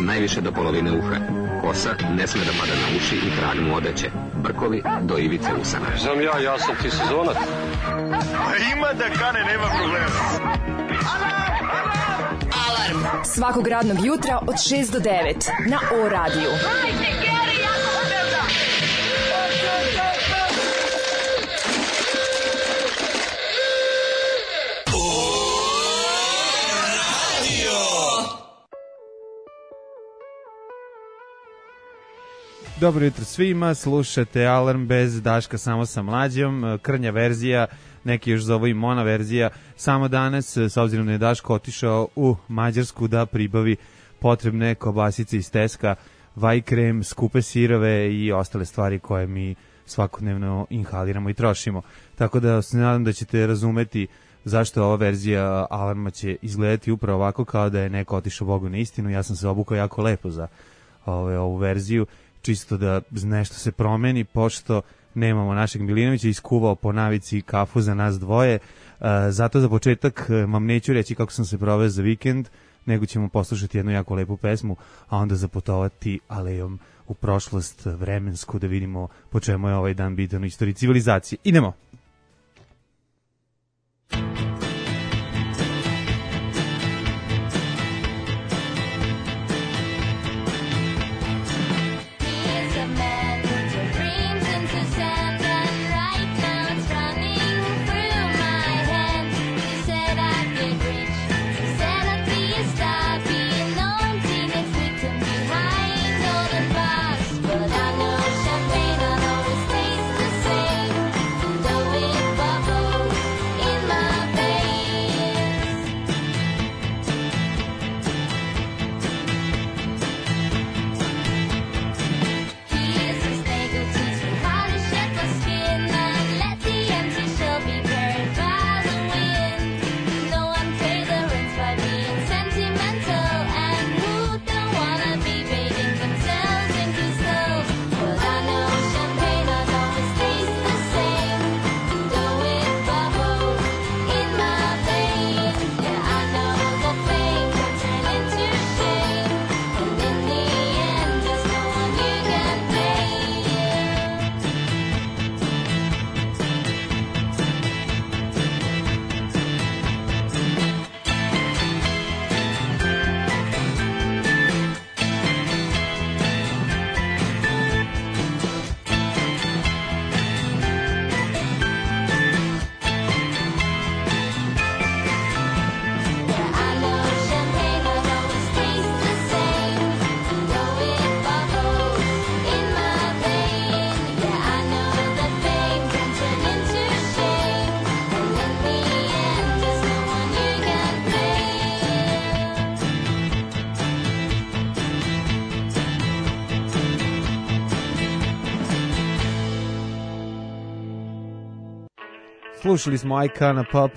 najviše do polovine uha. Kosa ne sme da pada na uši i krag mu odeće. Brkovi do ivice usana. Znam ja sam ti sezonac. Ima da kane, nema problema. Alarm svakog radnog jutra od 6 do 9 na O-radiju. Hajde, Geri, jako se velda! Dobro jutro svima, slušate Alarm bez Daška, samo sa Mlađom, krnja verzija, neki još zovu i mono verzija, samo danas, s obzirom da je Daško otišao u Mađarsku da pribavi potrebne kobasice iz Teska, vaj krem, skupe sirove i ostale stvari koje mi svakodnevno inhaliramo i trošimo. Tako da se nadam da ćete razumeti zašto ova verzija Alarma će izgledati upravo ovako, kao da je neko otišao Bogu na istinu. Ja sam se obukao jako lepo za ovu verziju, čisto da nešto se promeni, pošto nemamo našeg Milinovića, iskuvao po navici kafu za nas dvoje. Zato za početak vam neću reći kako sam se proveo za vikend, nego ćemo poslušati jednu jako lepu pesmu, a onda zaputovati alejom u prošlost vremensku da vidimo po čemu je ovaj dan bitan u istoriji civilizacije. Idemo! Slušali smo Icona Pop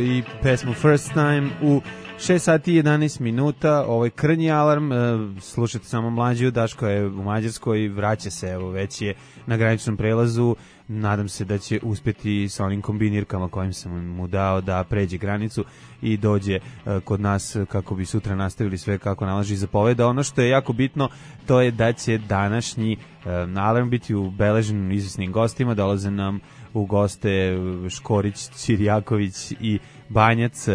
i pesmu First Time u 6 sati i 11 minuta. Ovo je krnji alarm, slušajte samo Mlađu, Daško je u Mađarskoj, vraća se, evo već je na graničnom prelazu, nadam se da će uspjeti sa onim kombinirkama kojim sam mu dao da pređe granicu i dođe kod nas kako bi sutra nastavili sve kako nalaži zapoveda. Ono što je jako bitno, to je da će današnji alarm biti ubeležen izvesnim gostima, dolaze nam u goste Škorić, Ćirjaković i Banjac.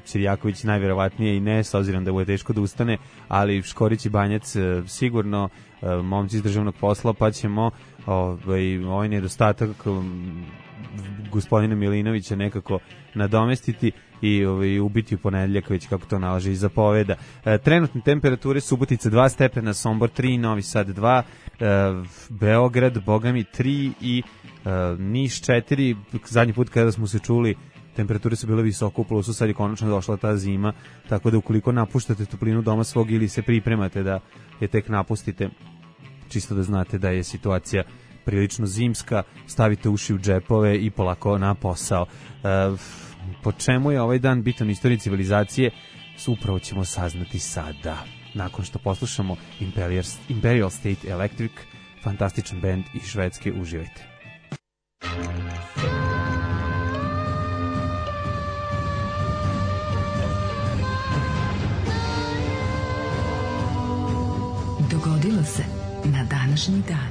Ćirjaković najverovatnije i ne, s obzirom da mu je teško da ustane, ali Škorić i Banjac sigurno momci iz državnog posla, pa ćemo ovaj nedostatak gospodina Milinovića nekako nadomestiti i ubiti u ponedeljak, već kako to nalaže i zapoveda. Trenutne temperature: Subotica 2 stepena, Sombor 3, Novi Sad 2, Beograd, bogami 3 i Niš 4. Zadnji put kada smo se čuli temperature su bile visoko u plusu, sad je konačno došla ta zima, tako da ukoliko napuštate toplinu doma svog ili se pripremate da je tek napustite, čisto da znate da je situacija prilično zimska, stavite uši u džepove i polako na posao. Po čemu je ovaj dan bitan u istoriji civilizacije, upravo ćemo saznati sada, nakon što poslušamo Imperial State Electric, fantastičan band iz Švedske. Uživajte. današnji dan.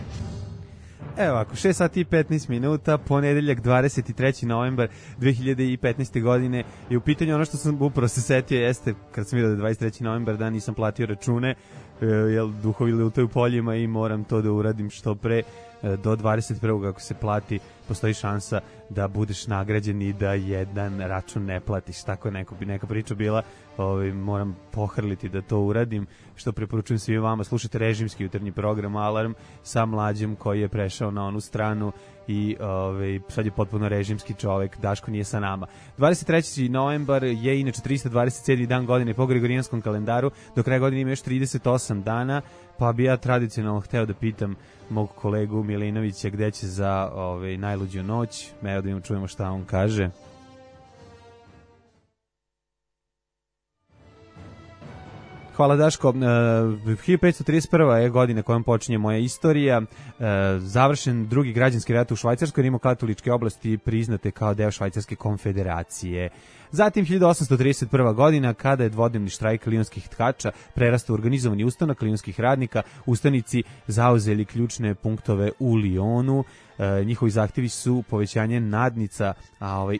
Evo ovako, 6 sati i 15 minuta, ponedeljak 23. novembar 2015. godine i u pitanju ono što sam upravo se setio jeste, kad sam vidio da je 23. novembar dan, nisam platio račune, jer duhovi lutaju poljima i moram to da uradim što pre. Do 21. ako se plati, postoji šansa da budeš nagrađen i da jedan račun ne platiš. Tako neka priča bila, moram pohrliti da to uradim, što preporučujem svima vama. Slušajte režimski jutarnji program Alarm sa Mlađem koji je prešao na onu stranu i sad je potpuno režimski čovek. Daško nije sa nama. 23. novembar je inače 327. dan godine po Gregorijanskom kalendaru. Do kraja godine ima još 38 dana, pa bi ja tradicionalno hteo da pitam mog kolegu Milinovića gde će za najluđu noć. Evo da čujemo šta on kaže. Hvala Daško. 1531. je godina kojom počinje moja istorija. Završen drugi građanski rat u Švajcarskoj, rimokatoličke oblasti priznate kao deo Švajcarske konfederacije. Zatim 1831. godina, kada je dvodnevni štrajk lionskih tkača prerastao u organizovani ustanak lionskih radnika, ustanici zauzeli ključne punktove u Lionu. Njihovi zahtjevi su povećanje nadnica,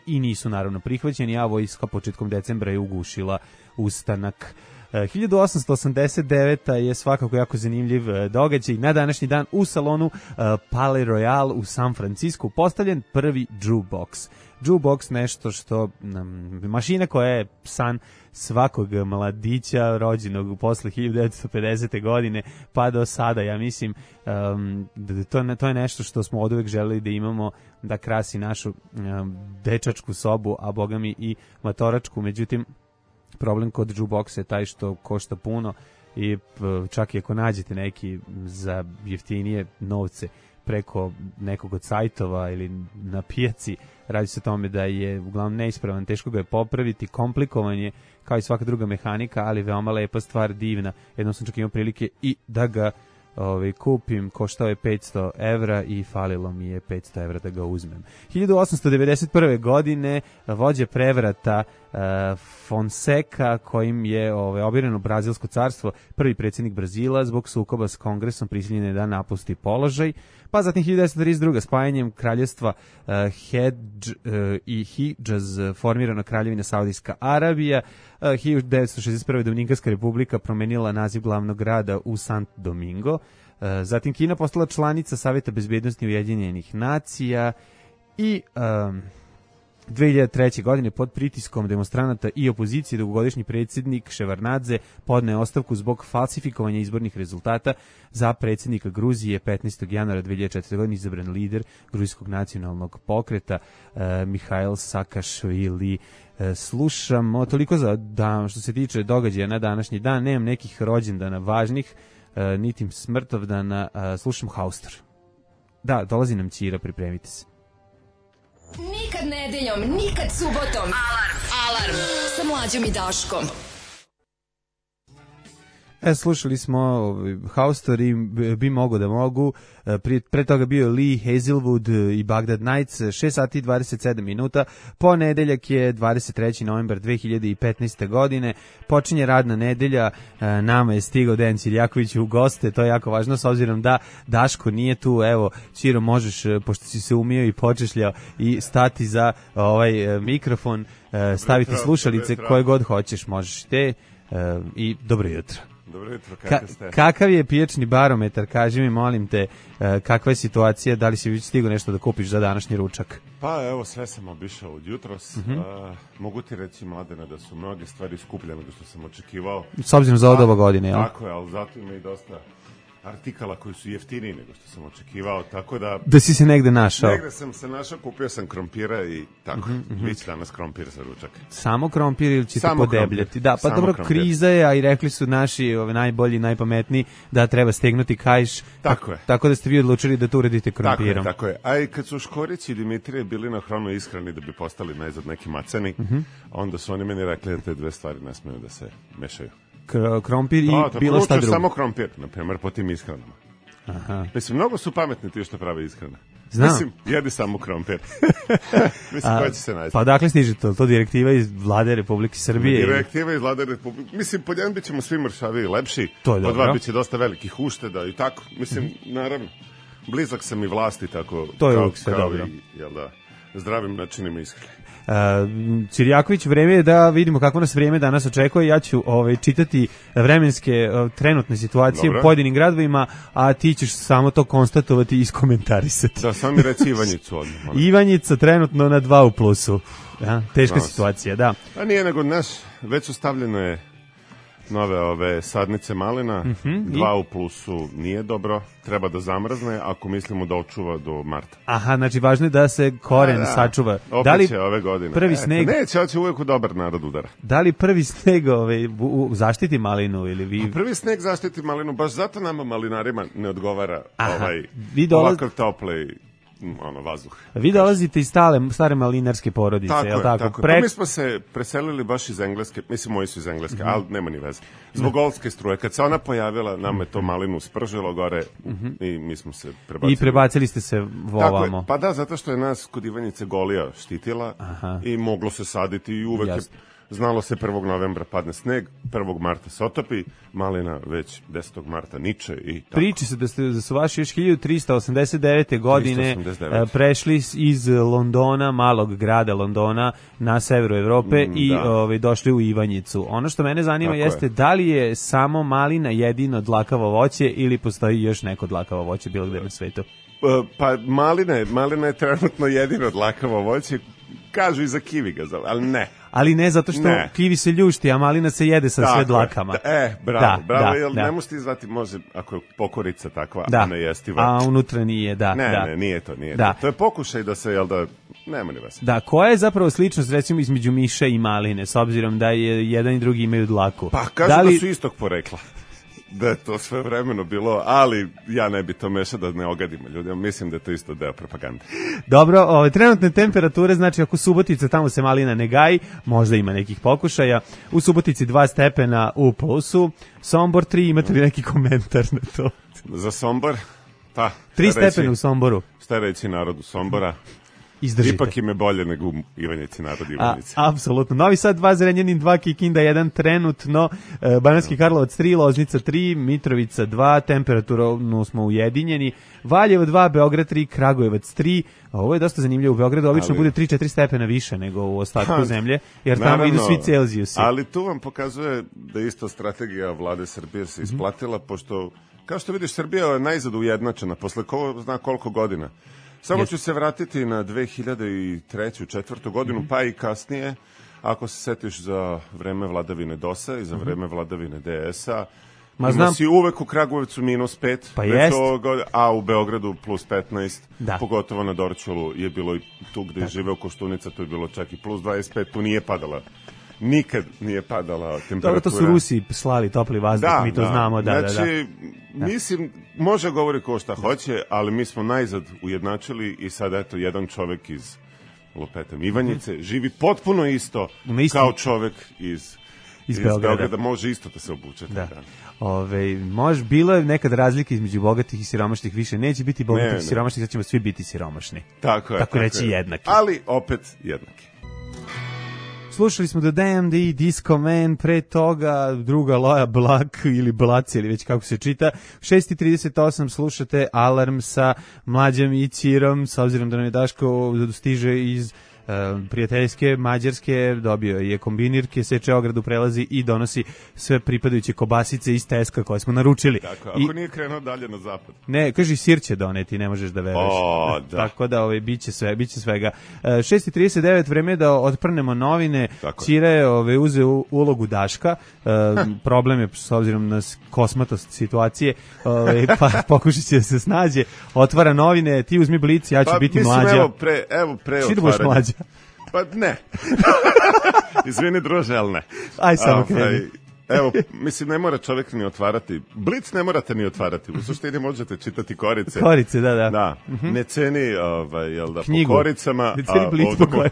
i nisu naravno prihvaćeni, a vojska početkom decembra je ugušila ustanak. 1889. je svakako jako zanimljiv događaj. Na današnji dan u salonu Palais Royal u San Francisku postavljen prvi jukebox. Jukebox, nešto što mašina koja je san svakog mladića rođenog posle 1950. godine pa do sada. Ja mislim to je nešto što smo oduvek želeli da imamo, da krasi našu dečačku sobu, a bogami i matoračku. Međutim, problem kod jukeboxa je taj što košta puno i čak i ako nađete neki za jeftinije novce preko nekog od sajtova ili na pijaci, radi se o tome da je uglavnom neispravan, teško ga je popraviti, komplikovan je kao i svaka druga mehanika, ali veoma lepa stvar, divna. Jednom sam čak imao prilike i da ga kupim, koštao je 500 evra i falilo mi je 500 evra da ga uzmem. 1891. godine vođa prevrata Fonseca, kojim je obireno Brazilsko carstvo, prvi predsjednik Brazila, zbog sukoba s kongresom prisiljen je da napusti položaj. Pa zatim 1932. spajanjem kraljevstva Hedž i Hidžaz formirana kraljevina Saudijska Arabija. 1961. Dominikanska republika promenila naziv glavnog grada u Sant Domingo. Zatim Kina postala članica Saveta bezbednosti Ujedinjenih nacija i 2003. godine pod pritiskom demonstranata i opozicije dugogodišnji predsjednik Ševarnadze podneo ostavku zbog falsifikovanja izbornih rezultata. Za predsjednika Gruzije 15. januara 2004. godine izabran lider gruzijskog nacionalnog pokreta Mihail Sakašvili. Slušamo toliko za dan što se tiče događaja na današnji dan. Nemam nekih rođendana važnih, niti smrtovdana. Slušam Haustor. Da, dolazi nam Ćira, pripremite se. Nikad nedeljom, nikad subotom. Alarm sa Mlađom i Daškom. Slušali smo Haustor i Bi mogo da mogu. Pre toga bio Lee Hazelwood i Baghdad Nights. 6 sati 27 minuta. Ponedeljak je 23. novembar 2015. godine. Počinje radna nedelja. Nama je stigao Dejan Ciljaković u goste. To je jako važno s obzirom da Daško nije tu. Evo, Ćiro, možeš, pošto si se umio i počešljao, i stati za ovaj mikrofon, staviti slušalice koje god hoćeš, možeš te. I dobro jutro. Dobro jutro, kako ste? Kakav je pijačni barometar, kaži mi, molim te, kakva je situacija, da li si već stigao nešto da kupiš za današnji ručak? Pa evo, sve sam obišao od jutros. Mogu ti reći, Mladena, da su mnoge stvari skuplje nego što sam očekivao. S obzirom za ovo godine, jel? Tako je, ali zato ima i dosta artikala koji su jeftiniji nego što sam očekivao, tako da... Da si se negde našao? Negde sam se našao, kupio sam krompira i tako, bit će danas krompir za ručak. Samo krompir ili ćete podebljati? Da, pa samo dobro, krompir. Kriza je, a i rekli su naši najbolji, najpametniji, da treba stegnuti kaiš. Tako je. Tako da ste vi odlučili da to uredite krompirom. Tako je. A i kad su Škorić i Dimitrije bili na hranu ishrani da bi postali najzad neki macani, onda su oni meni rekli da te dve stvari ne smeju da se mešaju. Krompir i bilo šta drugo. Samo krompir, na primjer, po tim ishranama. Aha. Mislim, mnogo su pametni ti što prave ishrane. Znam. Mislim, jedi samo krompir. Mislim, ko će se naći? Pa dakle stiže to direktiva iz vlade Republike Srbije? Direktiva iz vlade Republike. Mislim, po jedan bit ćemo svi mršavi i lepši, To je po dobro. dva bit će dosta velikih ušteda i tako. Mislim, naravno, blizak sam i vlasti, tako To je kao, uvijek sve kao dobro. i, jel da, zdravim načinima ishrane. Cirjaković, vreme je da vidimo kako nas vrijeme danas očekuje. Ja ću čitati vremenske trenutne situacije Dobro. u pojedinim gradovima, a ti ćeš samo to konstatovati i iskomentarisati. Da, sam mi reci Ivanjicu odmah. molim. Ivanjica trenutno na 2 u plusu. Ja, teška Nas. situacija, da. A nije nego, već su stavljene nove ove sadnice malina, 2 u plusu nije dobro, treba da zamrzne ako mislimo da očuva do marta. Aha, znači važno je da se koren sačuva. Opet će ove godine. prvi sneg- Neće, hoće uvijek u dobar narod udara. Da li prvi sneg zaštiti malinu ili vi... Prvi sneg zaštiti malinu, baš zato nama malinarima ne odgovara Vi dolaz- ovakav topli vazduh. Vi dolazite iz stare malinarske porodice, Tako je li je, tako? tako je. Pa mi smo se preselili baš iz Engleske, mislim moji su iz Engleske, ali nema ni veze. Zbog Olske struje, kad se ona pojavila, nam je to malinu spržilo gore i mi smo se prebacili. I prebacili ste se Tako je, ovamo. pa da, zato što je nas kod Ivanjice Golija štitila i moglo se saditi i uvek je Jasno. znalo se 1. novembra padne sneg, 1. marta se otopi, malina već 10. marta niče i tako. Priči se da su vaši još 1389. godine 389. prešli iz Londona, malog grada Londona, na severu Evrope i da. došli u Ivanjicu. Ono što mene zanima Tako jeste je. da li je samo malina jedino dlakavo voće ili postoji još neko dlakavo voće bilo gde na svetu? Pa malina je trenutno jedino dlakavo voće, kažu i za kivi ga zove, ali ne. Ali ne zato što Ne. kivi se ljušti, a malina se jede sa Tako sve je. dlakama. Bravo, Da, jer da. ne možete izvati, može, ako je pokorica takva, Da, a ne jestiva. a unutra nije, da. Ne, nije to. Da. To je pokušaj da se, jel da, nema ni vas. Da, koja je zapravo sličnost recimo između miša i maline, s obzirom da je jedan i drugi imaju dlaku? Pa kažu da su istog porekla. Da je to sve vremeno bilo, ali ja ne bi to mešao da ne ogadimo ljudima. Mislim da je to isto deo propagande. Dobro, trenutne temperature, znači ako Subotica, tamo se malina ne gaji, možda ima nekih pokušaja. U Subotici 2 stepena u plusu, Sombor 3, imate li neki komentar na to? Za Sombor, pa... 3 stepena u Somboru. Šta reći narodu Sombora? Izdržite. Ipak im je bolje nego u Ivanjici, narod Ivanjice. Apsolutno. Novi Sad 2, Zrenjanin 2, Kikinda 1, trenutno, Banatski Karlovac 3, Loznica 3, Mitrovica 2, temperaturno smo ujedinjeni, Valjevo 2, Beograd 3, Kragujevac 3, ovo je dosta zanimljivo, u Beogradu obično bude 3-4 stepena više nego u ostatku zemlje, jer tamo idu svi Celzijusi. Ali tu vam pokazuje da isto strategija vlade Srbije se isplatila, pošto, kao što vidiš, Srbija je najzad ujednačena, posle ko zna koliko godina. Samo ću se vratiti na 2003. 2004. godinu, pa i kasnije, ako se setiš za vreme vladavine DOS-a i za vreme vladavine DS-a, ima si uvek u Kragujevcu -5, Pa jest. a u Beogradu +15, Da. pogotovo na Dorćolu je bilo i tu gde je živeo Koštunica, tu je bilo čak i +25, tu nije padala. Nikad nije padala temperatura. Dobro, to su Rusi slali topli vazduh, mi to znamo, da. Znači, mislim, može govori ko šta hoće, ali mi smo najzad ujednačili i sad eto, jedan čovek iz lupetam Ivanjice živi potpuno isto kao čovek iz Beograda. Može isto da se obuče. Da. Bilo je nekad razlike između bogatih i siromašnih, više neće biti bogatih i siromašnih, sad ćemo svi biti siromašni. Tako reći jednaki. Ali opet jednaki. Slušali smo The Damned i Disco Man, pre toga druga Loja Blak ili Blac ili već kako se čita. 6:38 slušate Alarm sa Mlađom i Cirom, s obzirom da nam je Daško stiže iz prijateljske Mađarske, dobio je kombinirke, seče ogradu, prelazi i donosi sve pripadajuće kobasice iz Teska koje smo naručili. Tako, ako nije krenuo dalje na zapad. Ne, kaži sir će doneti, ne možeš da veruješ. Da. Tako da biće svega. 6:39, vreme je da otprnemo novine. Cira je uzeo ulogu Daška. Problem je s obzirom na kosmatost situacije, pa pokušat će da se snađe. Otvara novine, ti uzmi Blic, ja ću biti Mlađa. Evo pre Ti da budeš Mlađa. Pa ne. Izvini druže, ali ne. Aj samo kreni. Evo, mislim, ne mora čovjek ni otvarati. Blic ne morate ni otvarati. U suštini možete čitati korice. Korice, da. Da, ne ceni, jel da, Knjigu. po koricama. Ne ceni Blic po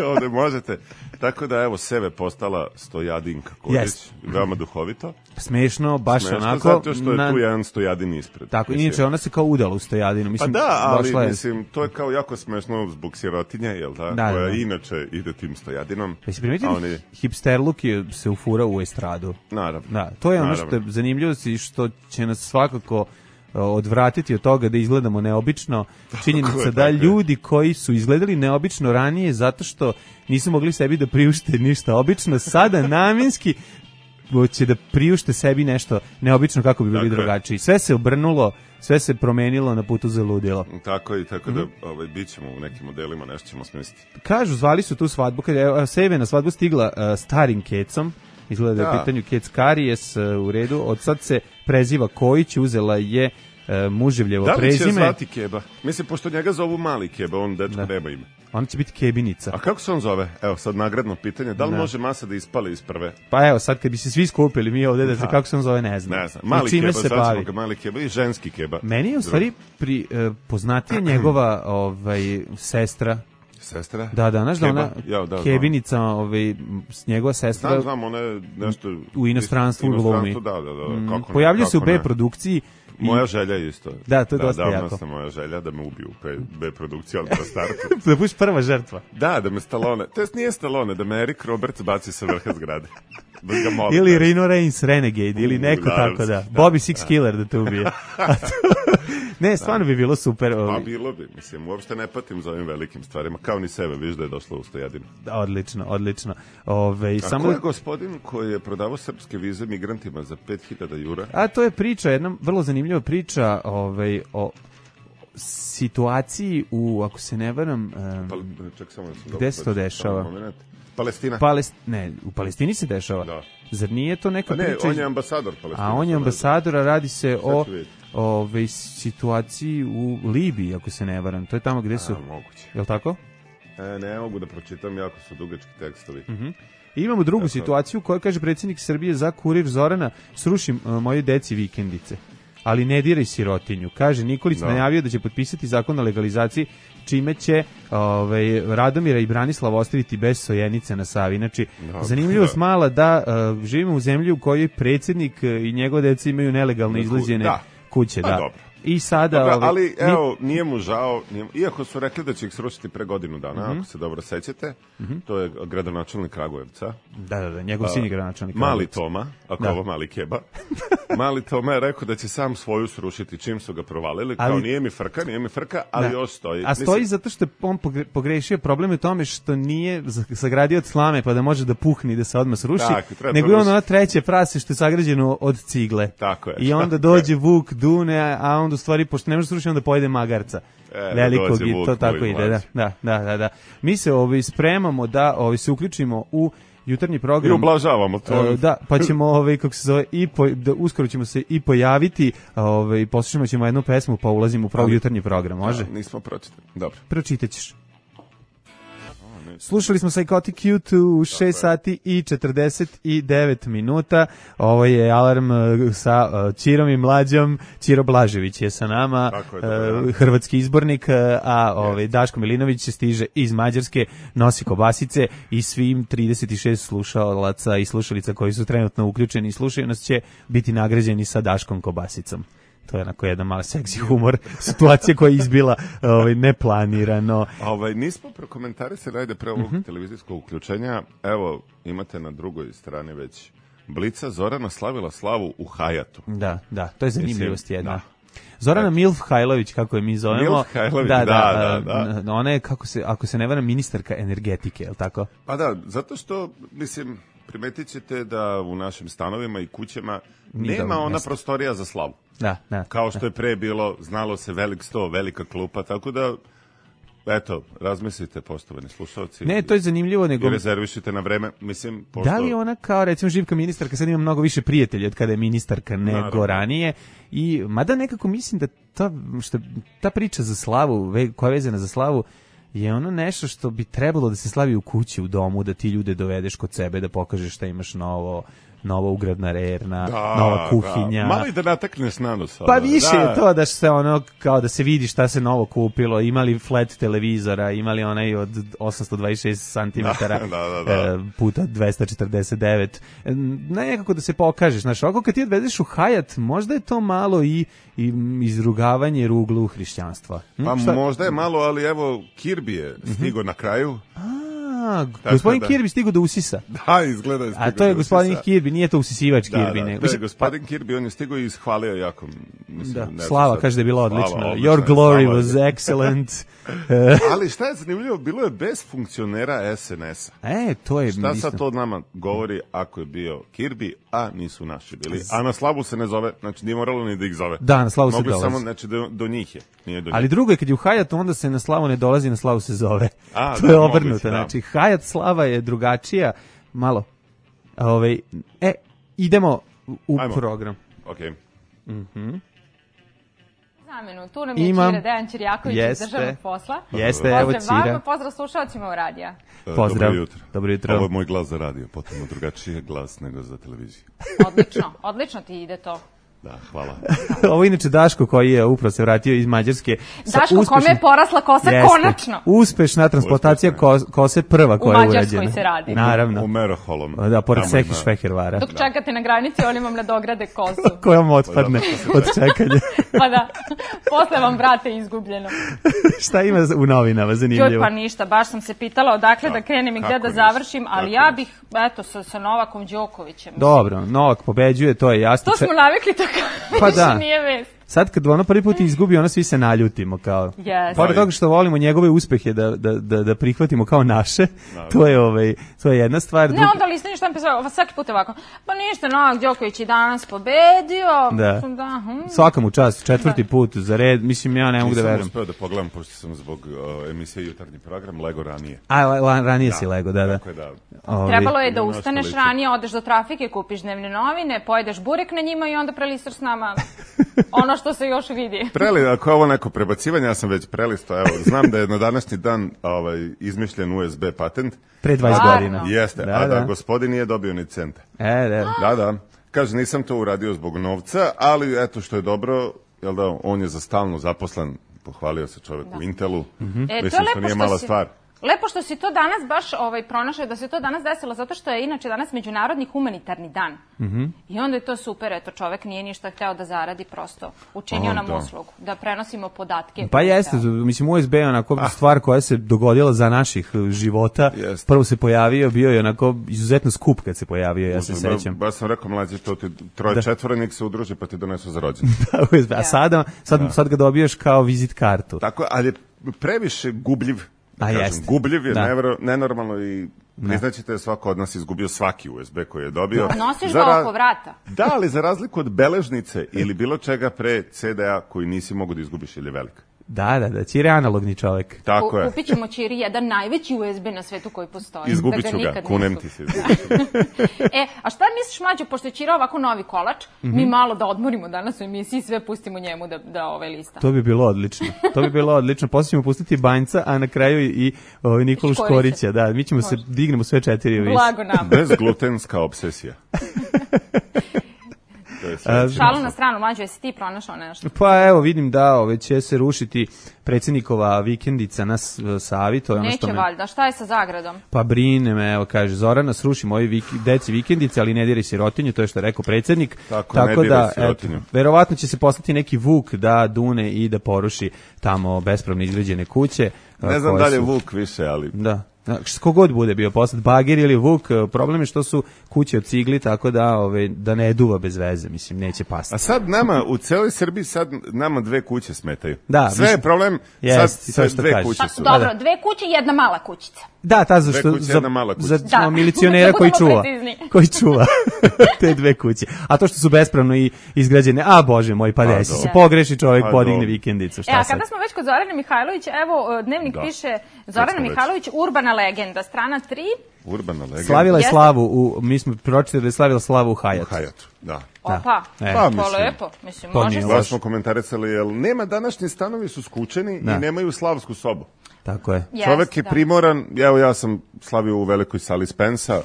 ovde možete. Tako da, evo, Seve postala Stojadinka Kodić. Veoma duhovito. Smešno, baš Smešno, onako. zato što je tu jedan Stojadin ispred. Tako, Mislim. inače ona se kao udala u Stojadinu. Pa Mislim, da, ali došla je... mislim, to je kao jako smešno zbog sirotinje, jel da? Da, koja da. inače ide tim Stojadinom. Jesi primetili, oni... hipsterluk je se ufurao u estradu. Naravno. Da, to je ono Naravno. što je zanimljivo i što će nas svakako odvratiti od toga da izgledamo neobično. Činjenica da ljudi koji su izgledali neobično ranije zato što nisu mogli sebi da priušte ništa obično, sada namjenski će da priušte sebi nešto neobično kako bi bili drugačiji. Sve se obrnulo, sve se promenilo na putu za ludilo. Tako i tako da bit ćemo u nekim modelima, nešto ćemo smisliti. Kažu, zvali su tu svadbu, kad je Seve na svadbu stigla starim kecom, izgleda da je u pitanju kec Karijes, u redu, od sad se preziva Kojić, uzela je muževljevo prezime. Da li će zvati Keba? Mislim, pošto njega zovu Mali Keba, on dečko nema ime. Ona će biti Kebinica. A kako se on zove? Evo, sad nagradno pitanje. Da li može masa da ispali iz prve? Pa evo, sad kad bi se svi skupili mi ovde da se kako se on zove, ne znam. Ne znam. Mali čime Keba, se sad bavi. ćemo ga Mali Keba i ženski Keba. Meni je u stvari poznatija njegova sestra. Sestra? Da, znaš da ona Kebinica, njegova sestra. Znam, ona je nešto... U inostranstvu glumi. Da. Pojavljuje se u B produkciji. Moja želja je isto. Da, to je dosta jako. Davno sam moja želja da me ubiju u B produkciji, ali na startu. Da budeš prva žrtva. Da me Stallone, to jest nije Stallone, da me Eric Roberts baci sa vrha zgrade. Da ga molim. Ili Rino Reigns Renegade, ili neko tako da. Bobby Six Killer da te ubije. Ne, stvarno bi bilo super. Pa bilo bi, mislim, uopšte ne patim za ovim velikim stvarima, kao ni sebe, viš da je došlo u Stojadinu. Odlično. A ko je gospodin koji je prodavao srpske vize migrantima za 5000 eura? A to je priča, jedna vrlo zanimljiva priča o situaciji ako se ne varam, gde se to dešava? Palestina? Ne, u Palestini se dešava. Da. Zar nije to neka priča? Ne, on je ambasador Palestine. A on je ambasador, a radi se o situaciji u Libiji, ako se ne varam. To je tamo gde su... Moguće. Je li tako? Ne mogu da pročitam, jako su dugački tekstovi. I imamo drugu situaciju koja kaže predsjednik Srbije za Kurir Zorana: sruši moje deci vikendice, ali ne diraj sirotinju. Kaže, Nikolić najavio da će potpisati zakon o legalizaciji, čime će Radomira i Branislava ostaviti bez Sojenice na Savi. Znači, zanimljivost mala da živimo u zemlji u kojoj predsjednik i njegove dece imaju nelegalno izleđene kuće. Da. I sada... ali, evo, nije mu žao, iako su rekli da će ih srušiti pre godinu dana, ako se dobro sećate, to je gradonačelnik Kragujevca. Da, njegov sin je gradonačelnik Mali Toma, ako ovo Mali Keba. Mali Toma je rekao da će sam svoju srušiti čim su ga provalili, kao nije mi frka, ali još stoji. A stoji zato što je on pogrešio, problem je u tome što nije sagradio od slame pa da može da puhne i da se odmah sruši, nego je ono treće prase što je sagrađeno od cigle. Tako je. I onda dođe Vuk, dune, a onda u stvari, pošto ne može srušiti, onda pojede magarca. Velikog i to tako ide. Da. Mi se spremamo da se uključimo u jutarnji program. I ublažavamo to. Da, pa ćemo, kako se zove, uskoro ćemo se i pojaviti, poslušamo ćemo jednu pesmu, pa ulazimo u jutarnji program, može? Nismo pročitali, dobro. Pročitat ćeš. Slušali smo Psychotic Youth u 6 sati i 49 minuta. Ovo je Alarm sa Čirom i Mlađom. Čiro Blažević je sa nama, hrvatski izbornik, a Daško Milinović stiže iz Mađarske, nosi kobasice i svim 36 slušalaca i slušalica koji su trenutno uključeni i slušaju nas će biti nagrađeni sa Daškom kobasicom. To je onako jedan mali seksi humor, situacija koja je izbila neplanirano. Nismo prokomentarisali, ajde pre ovog televizijskog uključenja, evo imate na drugoj strani već Blica, Zorana slavila slavu u Hajatu. Da, to je zanimljivost jedna. Zorana Milf Hajlović, kako je mi zovemo. Milf Hajlović, da. Ona je, ako se ne varam, ministarka energetike, je li tako? Pa da, zato što, mislim, primetit ćete da u našim stanovima i kućama nema ona prostorija za slavu. Da. Kao što je pre bilo, znalo se velik sto, velika klupa, tako da, eto, razmislite, poštovani slušalci. Ne, to je zanimljivo, nego... I rezervišite na vreme, mislim, pošto... Da li ona kao, recimo, Živka ministarka sad ima mnogo više prijatelja od kada je ministarka nego ranije, i mada nekako mislim da ta priča za slavu, koja je vezana za slavu, je ono nešto što bi trebalo da se slavi u kući, u domu, da ti ljude dovedeš kod sebe, da pokažeš šta imaš novo, nova ugradna rerna, nova kuhinja. Da. Malo i da natekneš na nos. Pa više je to da se ono, kao da se vidi šta se novo kupilo, imali flat televizora, imali onaj od 826 cm puta 249. Nekako da se pokažeš, znaš, ovako kad ti odvedeš u Hajat, možda je to malo i izrugavanje ruglu hrišćanstva. Pa možda je malo, ali evo, Kirby je stigo na kraju. Gospodin Kirby stigo do usisa. Da, izgleda je stigo. A to je gospodin Kirby, nije to usisivač Kirby. Da, to je gospodin Kirby, on je stigo i ishvalio jako. Mislim, Slava kaže da je bila odlična. Your glory was excellent. Ali šta je zanimljivo, bilo je bez funkcionera SNS-a. To je... Šta sad to nama govori ako je bio Kirby, a nisu naši bili? A na slavu se ne zove, znači nije moralo ni da ih zove. Da, na slavu se dolazi. Mogli samo, znači do njih je. Nije do njih. Ali drugo je kad je u Hajatu, onda se na slavu ne dolazi, na slavu se zove. To je obrnuto, znači Hajat slava je drugačija, malo. Idemo u program. Okej. Zamenu, tu nam je Čira Dejan Ćirjaković iz državnog posla. Jeste, evo Pozdrav vama, pozdrav slušalcima u radija. Pozdrav. Dobro jutro. Ovo je moj glas za radio, potpuno drugačiji glas nego za televiziju. Odlično ti ide to. Da, hvala. Ovo je inače Daško koji je upravo se vratio iz Mađarske. Daško kome je porasla kosa konačno. Uspešna transplantacija kose prva koja je urađena. U Mađarskoj se radi. Naravno. U Meroholom. Da, pored Sehi Švehervara. Dok čekate na granici, oni vam nadograde kosu. Koja vam otpadne od čekanja. Pa da, posle vam vrate izgubljeno. Šta ima u novinama zanimljivo? Pa ništa, baš sam se pitala odakle da krenem i gde da završim, ali ja bih, sa Novakom Đokovićem. Dobro, Novak pobeđuje, to je jasno. To smo navikli tako. Pa da. Nije vest. Sad kad ono prvi put izgubi, ono svi se naljutimo kao. Pored toga što volimo njegove uspehe da prihvatimo kao naše, to je jedna stvar. Ne, onda listanje što nam pisao, svaki put ovako. Pa ništa, Novak Đoković je danas pobedio. Da. Svaka mu čast, četvrti put za red, mislim ja ne mogu da verujem. Nisam uspeo da pogledam, pošto sam zbog emisije Jutarnji program lego ranije. Ranije si lego, da. Trebalo je da ustaneš ranije, odeš do trafike, kupiš dnevne novine, pojedeš burek na njima i onda prelistaš s nama ono što se još vidi. Ako je ovo neko prebacivanje, ja sam već prelistao, evo, znam da je na današnji dan izmišljen USB patent. Pre 20 godina. Jeste, a da gospodin nije dobio ni centa. Da. Kaže, nisam to uradio zbog novca, ali eto što je dobro, jel da, on je za stalno zaposlen, pohvalio se čovjek u Intelu, mislim što nije mala stvar. Lepo što si to danas baš pronašao, da se to danas desilo, zato što je inače danas Međunarodni humanitarni dan. I onda je to super, eto, čovek nije ništa hteo da zaradi, prosto učinio nam uslugu, da prenosimo podatke. Pa jeste, mislim, USB je onako stvar koja se dogodila za naših života. Prvo se pojavio, bio je onako izuzetno skup kad se pojavio, ja se sećam. Baš sam rekao, mlađe, to ti troje-četvoronik se udruži pa ti donesu za rođendan. A sad ga dobiješ kao vizit kartu. Tako, ali je previše gubljiv. Gubljiv je nenormalno i priznaćete, svako od nas izgubio svaki USB koji je dobio. Nosiš ga oko vrata. Da, ali za razliku od beležnice ili bilo čega pre CD-a koji nisi mogu da izgubiš ili je velik. Da, Ćire je analogni čovjek. Tako je. Kupit ćemo Ćiri jedan najveći USB na svetu koji postoji. Izgubit ću ga, kunem ti se. A šta misliš, Mlađo, pošto je Ćira ovako novi kolač, mi malo da odmorimo danas u emisiji i sve pustimo njemu da lista. To bi bilo odlično. Poslije ćemo pustiti Banjca, a na kraju i Nikolu Škorića. Da, mi ćemo se dignemo sve četiri u vis. Blago nam. Bezglutenska obsesija. Šalu na stranu, Mlađo, jesi ti pronašao nešto? Pa evo, vidim da će se rušiti predsjednikova vikendica na Savi. To je ono neće valjda, šta je sa Zagradom? Pa brine me, evo kaže, Zorana, sruši moji deci vikendice, ali ne diraj sirotinju, to je što je rekao predsjednik. Tako da, verovatno će se poslati neki Vuk da dune i da poruši tamo bespravno izgrađene kuće. Ne znam da li je Vuk više, ali... Da. Kogod bude bio poslat, Bagir ili Vuk, problem je što su kuće od cigli, tako da ne duva bez veze, mislim, neće pasti. A sad nama, u celoj Srbiji, sad nama dve kuće smetaju. Da, sve je problem, sad dve kuće su. Dobro, dve kuće i jedna mala kućica. Da, ta za milicionera koji čuva te dve kuće. A to što su bespravno i izgrađene, bože moj, pa desi se, pogreši čovjek, podigne vikendicu, šta sad? A kada smo već kod Zorane Mihajlović, evo, Dnevnik piše Zorana Mihajlović, urbana legenda, strana 3. Urbana legenda. Slavila je slavu, mi smo pročitali da je slavila slavu u Hajatu. U Hajatu, da. Opa, to lepo, mislim, može se. Baš smo komentarisali, jer nema, današnji stanovi su skučeni i nemaju slavsku sobu. Tako je. Čovek je primoran, evo ja sam slavio u velikoj sali Spensa,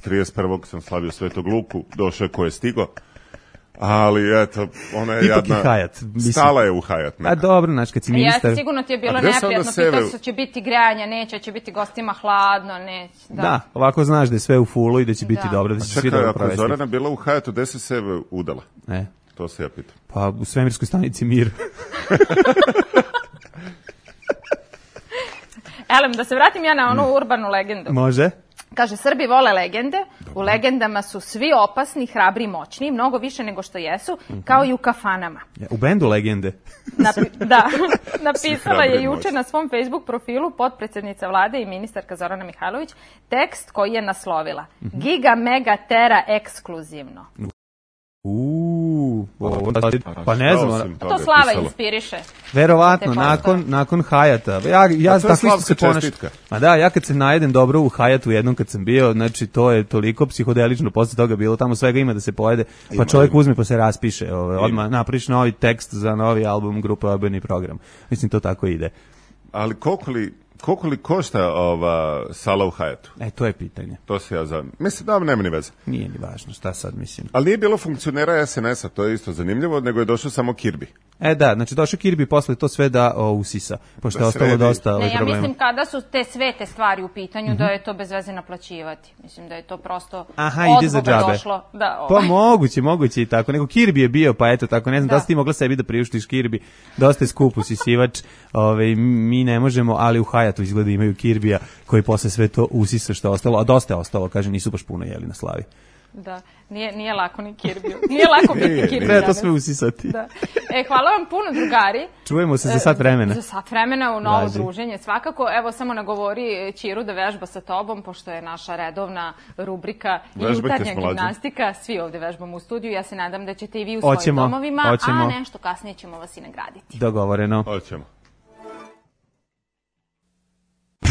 31. sam slavio Svetog Luku, došao je ko je stigo, ali eto, ona je ipak jadna, je Hajat, stala je u Hajat. A dobro, znaš, kad si ministar... Jeste, sigurno ti je bilo gde su onda neprijatno, pitao se će biti grejanja, neće, će biti gostima hladno, neće. Da, ovako znaš da je sve u fulu i da će biti dobro, da će se svi dobro Čekaj, provesti. ako Zorana bila u Hajatu, gde se sebe udala? To se ja pitam. Pa u svemirskoj stanici Mir. Elem, da se vratim ja na onu urbanu legendu. Može. Kaže, Srbi vole legende, u legendama su svi opasni, hrabri i moćni, mnogo više nego što jesu, kao i u kafanama. U bendu legende. Da, napisala hrabri je i juče moćni. na svom Facebook profilu potpredsednica vlade i ministarka Zorana Mihajlović tekst koji je naslovila Giga Mega Tera ekskluzivno. Pa ne znam, To Slava inspiriše. verovatno, Te nakon Hajata. Ja to je tako isto se Slavka ponašam. čestitka. Ma da, ja kad se najedem dobro u Hajatu jednom kad sam bio, znači to je toliko psihodelično posle toga bilo, tamo svega ima da se pojede, pa čovjek uzme pa se raspiše, odmah napraviš novi tekst za novi album grupe Obojeni program. Mislim, to tako ide. Ali koliko li košta ova sala u Hajatu? To je pitanje. To se ja znam. Mislim da nema ni veze. Nije ni važno, šta sad mislim. Ali nije bilo funkcionera SNS-a, to je isto zanimljivo, nego je došao samo Kirby. Da, znači došao Kirby posle to sve da usisa, pošto Da je ostalo sredi. dosta Ne, ja problema. mislim kada su te sve te stvari u pitanju da je to bez veze naplaćivati. Mislim da je to prosto Ide za džabe. došlo. Da, Pa moguće i tako. Nego Kirby je bio, pa eto tako, ne znam da si ti mogla sebi da priuštiš Kirby. Dosta je skup usisivač, mi ne možemo, ali u Hajatu izgleda imaju Kirbija koji posle sve to usisa što je ostalo, a dosta je ostalo, kaže, nisu baš puno jeli na slavi. Da, nije lako ni Kirbiju. Nije lako biti Kirbi. Treba to sve usisati. Da. Hvala vam puno, drugari. Čujemo se za sat vremena. Za sat vremena u novo Važi. druženje. Svakako, evo samo nagovori Ćiru da vežba sa tobom, pošto je naša redovna rubrika Vežbajte jutarnja s Mlađom. gimnastika. Svi ovde vežbamo u studiju. Ja se nadam da ćete i vi u svojim domovima, Hoćemo. a nešto kasnije ćemo vas i nagraditi. Dogovoreno. Hoćemo.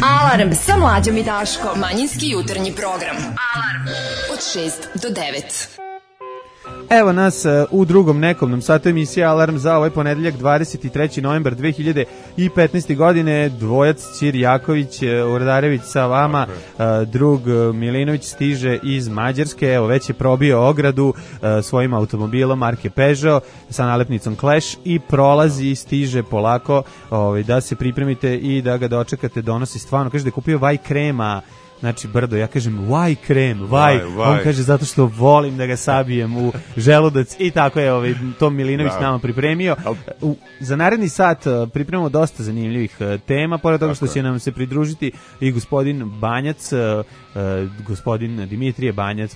Alarm sa Mlađom i Daškom. Manjinski jutarnji program. Alarm od 6 do 9. Evo nas u drugom nekomnom satu emisije Alarm za ovaj ponedeljak 23. novembar 2015. godine. Dvojac Ćir Jaković, Urdarević sa vama, drug Milinović stiže iz Mađarske, evo već je probio ogradu svojim automobilom marke Peugeot sa nalepnicom Clash i prolazi, stiže polako, da se pripremite i da ga dočekate, donosi stvarno, kaže da je kupio vaj krema, znači brdo, ja kažem why krem, why, on kaže zato što volim da ga sabijem u želudac i tako je Tom Milinović nama pripremio. Za naredni sat pripremamo dosta zanimljivih tema, pored toga što će nam se pridružiti i gospodin Banjac, gospodin Dimitrije Banjac,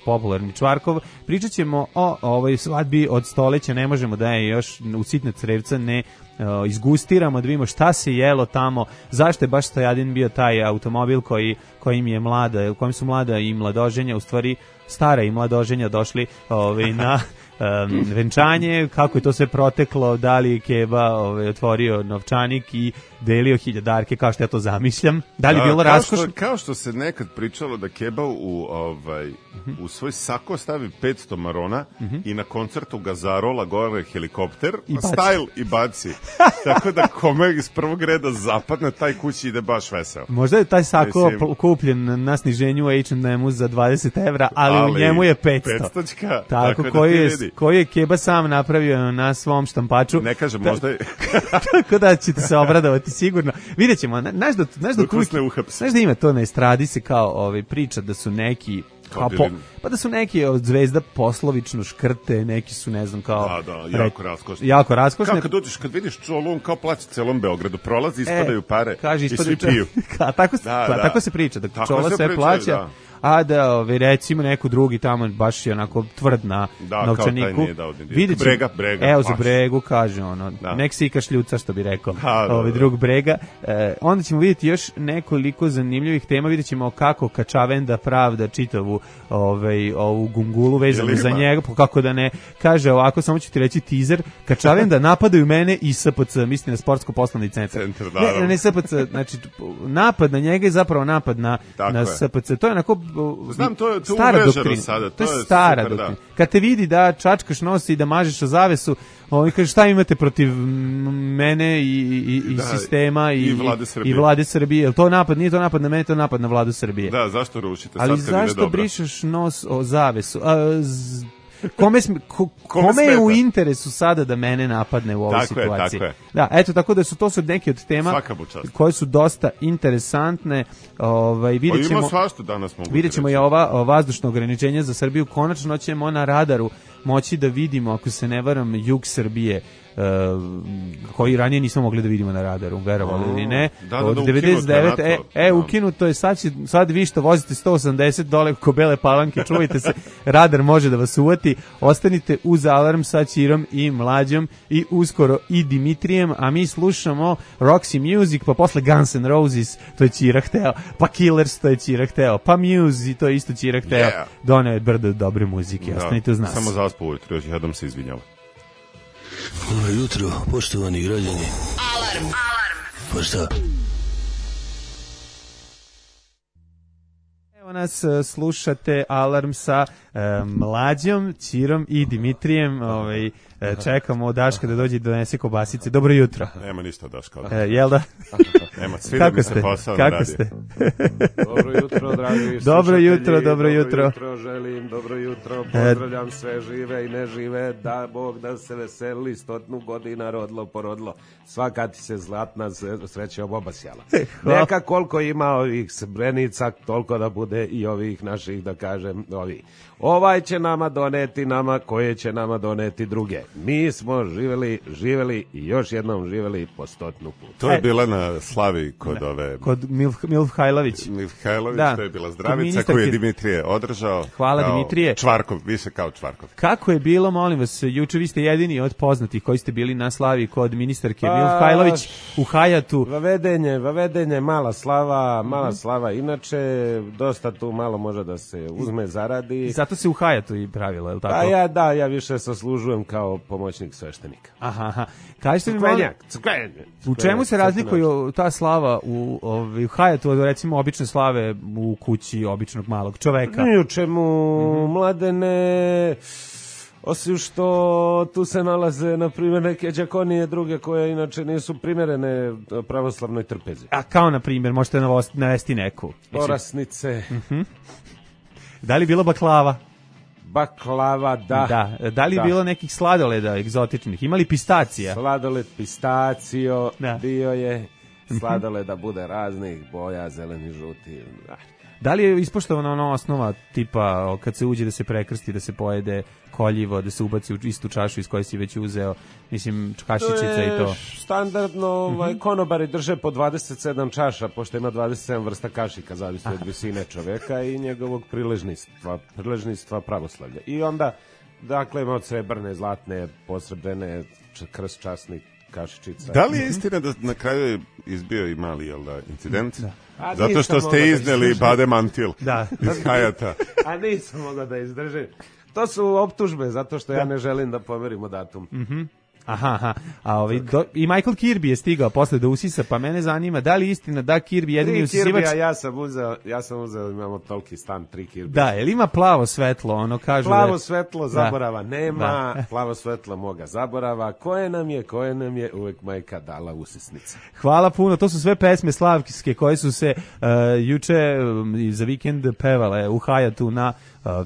popularni Čvarkov. Pričat ćemo o ovoj svadbi od stoleća, ne možemo da je još u sitna crevca ne izgustiramo, da vidimo šta se jelo tamo, zašto je baš Stojadin bio taj automobil kojim su mlada i mladoženja, u stvari stara i mladoženja došli na venčanje, kako je to sve proteklo, da li je Keba otvorio novčanik i delio hiljadarke, kao što ja to zamišljam, da li je bilo raskošno? Kao što se nekad pričalo da Keba u svoj sako stavi 500 marona i na koncertu ga zarola gore helikopter, style i baci. Tako da kome iz prvog reda zapadne, taj kući ide baš veseo. Možda je taj sako kupljen na sniženju u H&M-u za 20 evra, ali u njemu je 500. 500-čka, tako koji je Keba sam napravio na svom štampaču. Ne kažem, možda je... Tako da ćete se obradovati sigurno. Vidjet ćemo, znaš da ima to na estradi se kao priča da su neki pa da su neki od zvezda poslovično škrte, neki su ne znam kao... Da, jako raskošne. Kad vidiš čolu, on kao plaća celom Beogradu, prolazi, ispadaju pare i svi piju. Tako se priča, da čola sve plaća. A da recimo neko drugi tamo baš je onako tvrd na novčaniku. Brega. Evo za Bregu kaže nek si kašljuca što bi rekao drug Brega. Onda ćemo vidjeti još nekoliko zanimljivih tema, vidjet ćemo kako Kačavenda pravda čitavu ovu gungulu vezanu za njega, kako da ne, kaže ovako, samo ću ti reći teaser, Kačavenda napadaju mene i SPC, mislim na sportsko-poslovni centar. Ne SPC, znači napad na njega je zapravo napad na SPC, to je onako Znam, to je stara uveženo doktrina. sada, To je to je stara super, doktrina. da. Kad te vidi da čačkaš nos i da mažeš o zavesu, kaže šta imate protiv mene i Da, sistema i Vlade Srbije. i Vlade Srbije. Jel to napad? Nije to napad na mene, to je napad na Vladu Srbije. Da, zašto rušite? Ali sad kad ide zašto dobro? brišeš nos o zavesu? Kome je u interesu sada da mene napadne u ovoj situaciji? Tako je. Da, eto, tako da to su neke od tema Svaka mu čast. koje su dosta interesantne. Vidjet ćemo, ima svašta danas mogu vidjet ćemo i ova vazdušno ograničenje za Srbiju. Konačno ćemo na radaru moći da vidimo, ako se ne varam, jug Srbije, koji ranije nismo mogli da vidimo na radaru, verovali ili ne. Od 99, ukinuto je, sad vi što vozite 180 dole oko Bele Palanke, čuvajte se, radar može da vas uvati, ostanite uz Alarm sa Ćirom i Mlađom i uskoro i Dimitrijem, a mi slušamo Roxy Music, pa posle Guns N' Roses, to je Ćira hteo, pa Killers, to je Ćira hteo, pa Muse, to je isto Ćira hteo, doneo je brdo dobre muzike, ostanite uz nas. Samo za vas po ujutru, još jednom se izvinjava. Dobro jutro, poštovani građani. Alarm. Pa šta? Evo nas, slušate Alarm sa Mlađom, Ćirom i Dimitrijem. Čekamo Daška da dođe i donese kobasice. Dobro jutro. Nema ništa Daška. Jel da? Nema, svida mi se posao na radi. Ste? Dobro jutro, dragi Dobro jutro. Dobro jutro, želim, dobro jutro, pozdravljam sve žive i nežive, da Bog da se veseli, 100 godina rodilo, porodilo, svaka ti se zlatna sreća obasjala. Neka koliko ima ovih srebrenica, toliko da bude i ovih naših, da kažem, ovaj će nama doneti nama, koje će nama doneti druge. Mi smo živeli i još jednom živeli po 100 puta. To je bila na slavi kod ove... Kod Milfhajlović. Milfhajlović, da. To je bila zdravica koju je Dimitrije održao. Hvala Dimitrije. Čvarkov, više kao Čvarkov. Kako je bilo, molim vas, juče vi ste jedini od poznatih koji ste bili na slavi kod ministarke Milfhajlović u Hajatu. Vavedenje, mala slava, inače dosta tu malo može da se uzme, zaradi. I zato se u Hajatu i pravilo, je li tako? Ja više saslužujem kao pomoćnik sveštenika. Aha. Kažete mi Crkvenjak. U čemu se razlikuje ta slava u Hajatu od recimo obične slave u kući običnog malog čoveka? Ni u čemu, Mladene, osim što tu se nalaze, na primjer, neke đakonije druge koje inače nisu primjerene pravoslavnoj trpezi. A kao, na primjer, možete navesti neku? Porasnice. Da li je bilo baklava? Baklava, da. Da li je bilo nekih sladoleda egzotičnih? Imali pistacija? Sladoled, pistacio, bio je. Sladoleda bude raznih boja, zeleni, žuti. Da li je ispoštovana ona osnova tipa kad se uđe da se prekrsti, da se pojede koljivo, da se ubaci u istu čašu iz koje si već uzeo, mislim, kašičica i to? To je standardno, konobari drže po 27 čaša, pošto ima 27 vrsta kašika, zavisno od visine čoveka i njegovog priležništva pravoslavlja. I onda, dakle, ima od srebrne, zlatne, posrebljene, krst časnih kašičica. Da li je istina da na kraju je izbio i mali incident? Zato što ste izneli Bade Mantil iz Hajata. A nisam mogao da izdržim. To su optužbe, zato što ja ne želim da pomerimo datum. Aha. I Michael Kirby je stigao posle da usisa, pa mene zanima da li istina da Kirby jedini usisivač... ja sam uzeo, imamo toliki stan, 3 Kirby. Da, jel ima plavo svetlo, ono kažu... Plavo svetlo zaborava nema, plavo svetlo moga zaborava, koje nam je uvek majka dala usisnice. Hvala puno, to su sve pesme slavkijske koje su se juče za vikend pevale u Hajatu na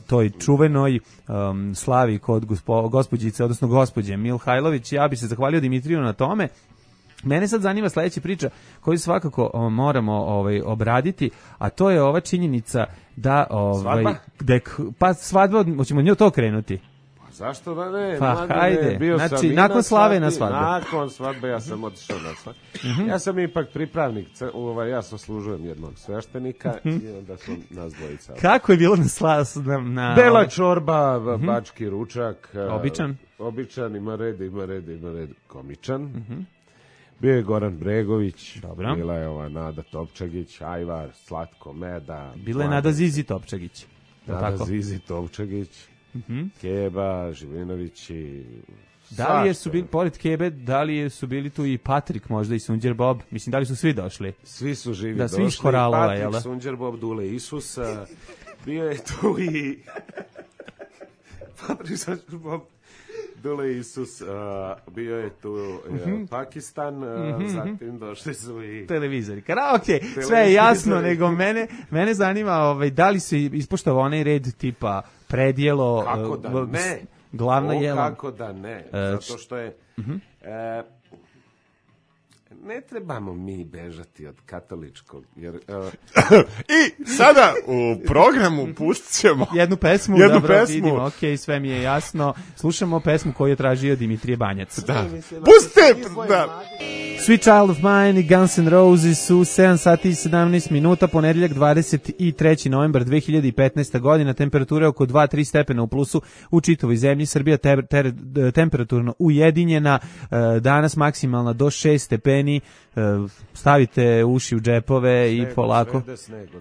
toj čuvenoj slavi kod gospođice, odnosno gospođe Milhajlović. Ja bi se zahvalio Dimitriju na tome. Mene sad zanima sledeća priča koju svakako moramo obraditi, a to je ova činjenica da... Svadba? Pa svadba, hoćemo nju to krenuti. Zašto da ne? Pa hajde, znači nakon slave na svadbe. Nakon svadbe ja sam otišao na svadbe. Ja sam ipak pripravnik, ja služujem jednog sveštenika i onda su nas dvojica. Kako je bilo na Bela čorba, bački ručak. Običan, ima red, komičan. Bio je Goran Bregović, bila je ova Nada Topčagić, Ajvar, Slatko Meda. Bila je Nada Zizi Topčagić. Nada Zizi Topčagić. Keba, Živinović i... Da li su bili, pored Kebe, da li su bili tu i Patrik možda i Sunđer Bob? Mislim, da li su svi došli? Svi su živi došli. Svi iz Koralova, Patrik, Sunđer Bob, Dule Isus, Bio je tu i Patrick Bob Dule Isus, bio je tu Pakistan, zatim došli su i televizori. Karaoke, sve je jasno, nego mene zanima da li se ispoštava onaj red tipa predjelo, kako da ne, glavna jela. Kako da ne, zato što je ne trebamo mi bežati od katoličkog, jer... I sada u programu pustit ćemo jednu pesmu. Vidimo, ok, sve mi je jasno. Slušamo pesmu koju je tražio Dimitrije Banjac. Da. Pustite! Da. Sweet Child of Mine i Guns N' Roses u 7 sati i 17 minuta, ponedeljak 23. novembar 2015. godina, temperatura oko 2-3 stepena u plusu u čitavoj zemlji, Srbija temperaturno ujedinjena, danas maksimalna do 6 stepeni, stavite uši u džepove i polako.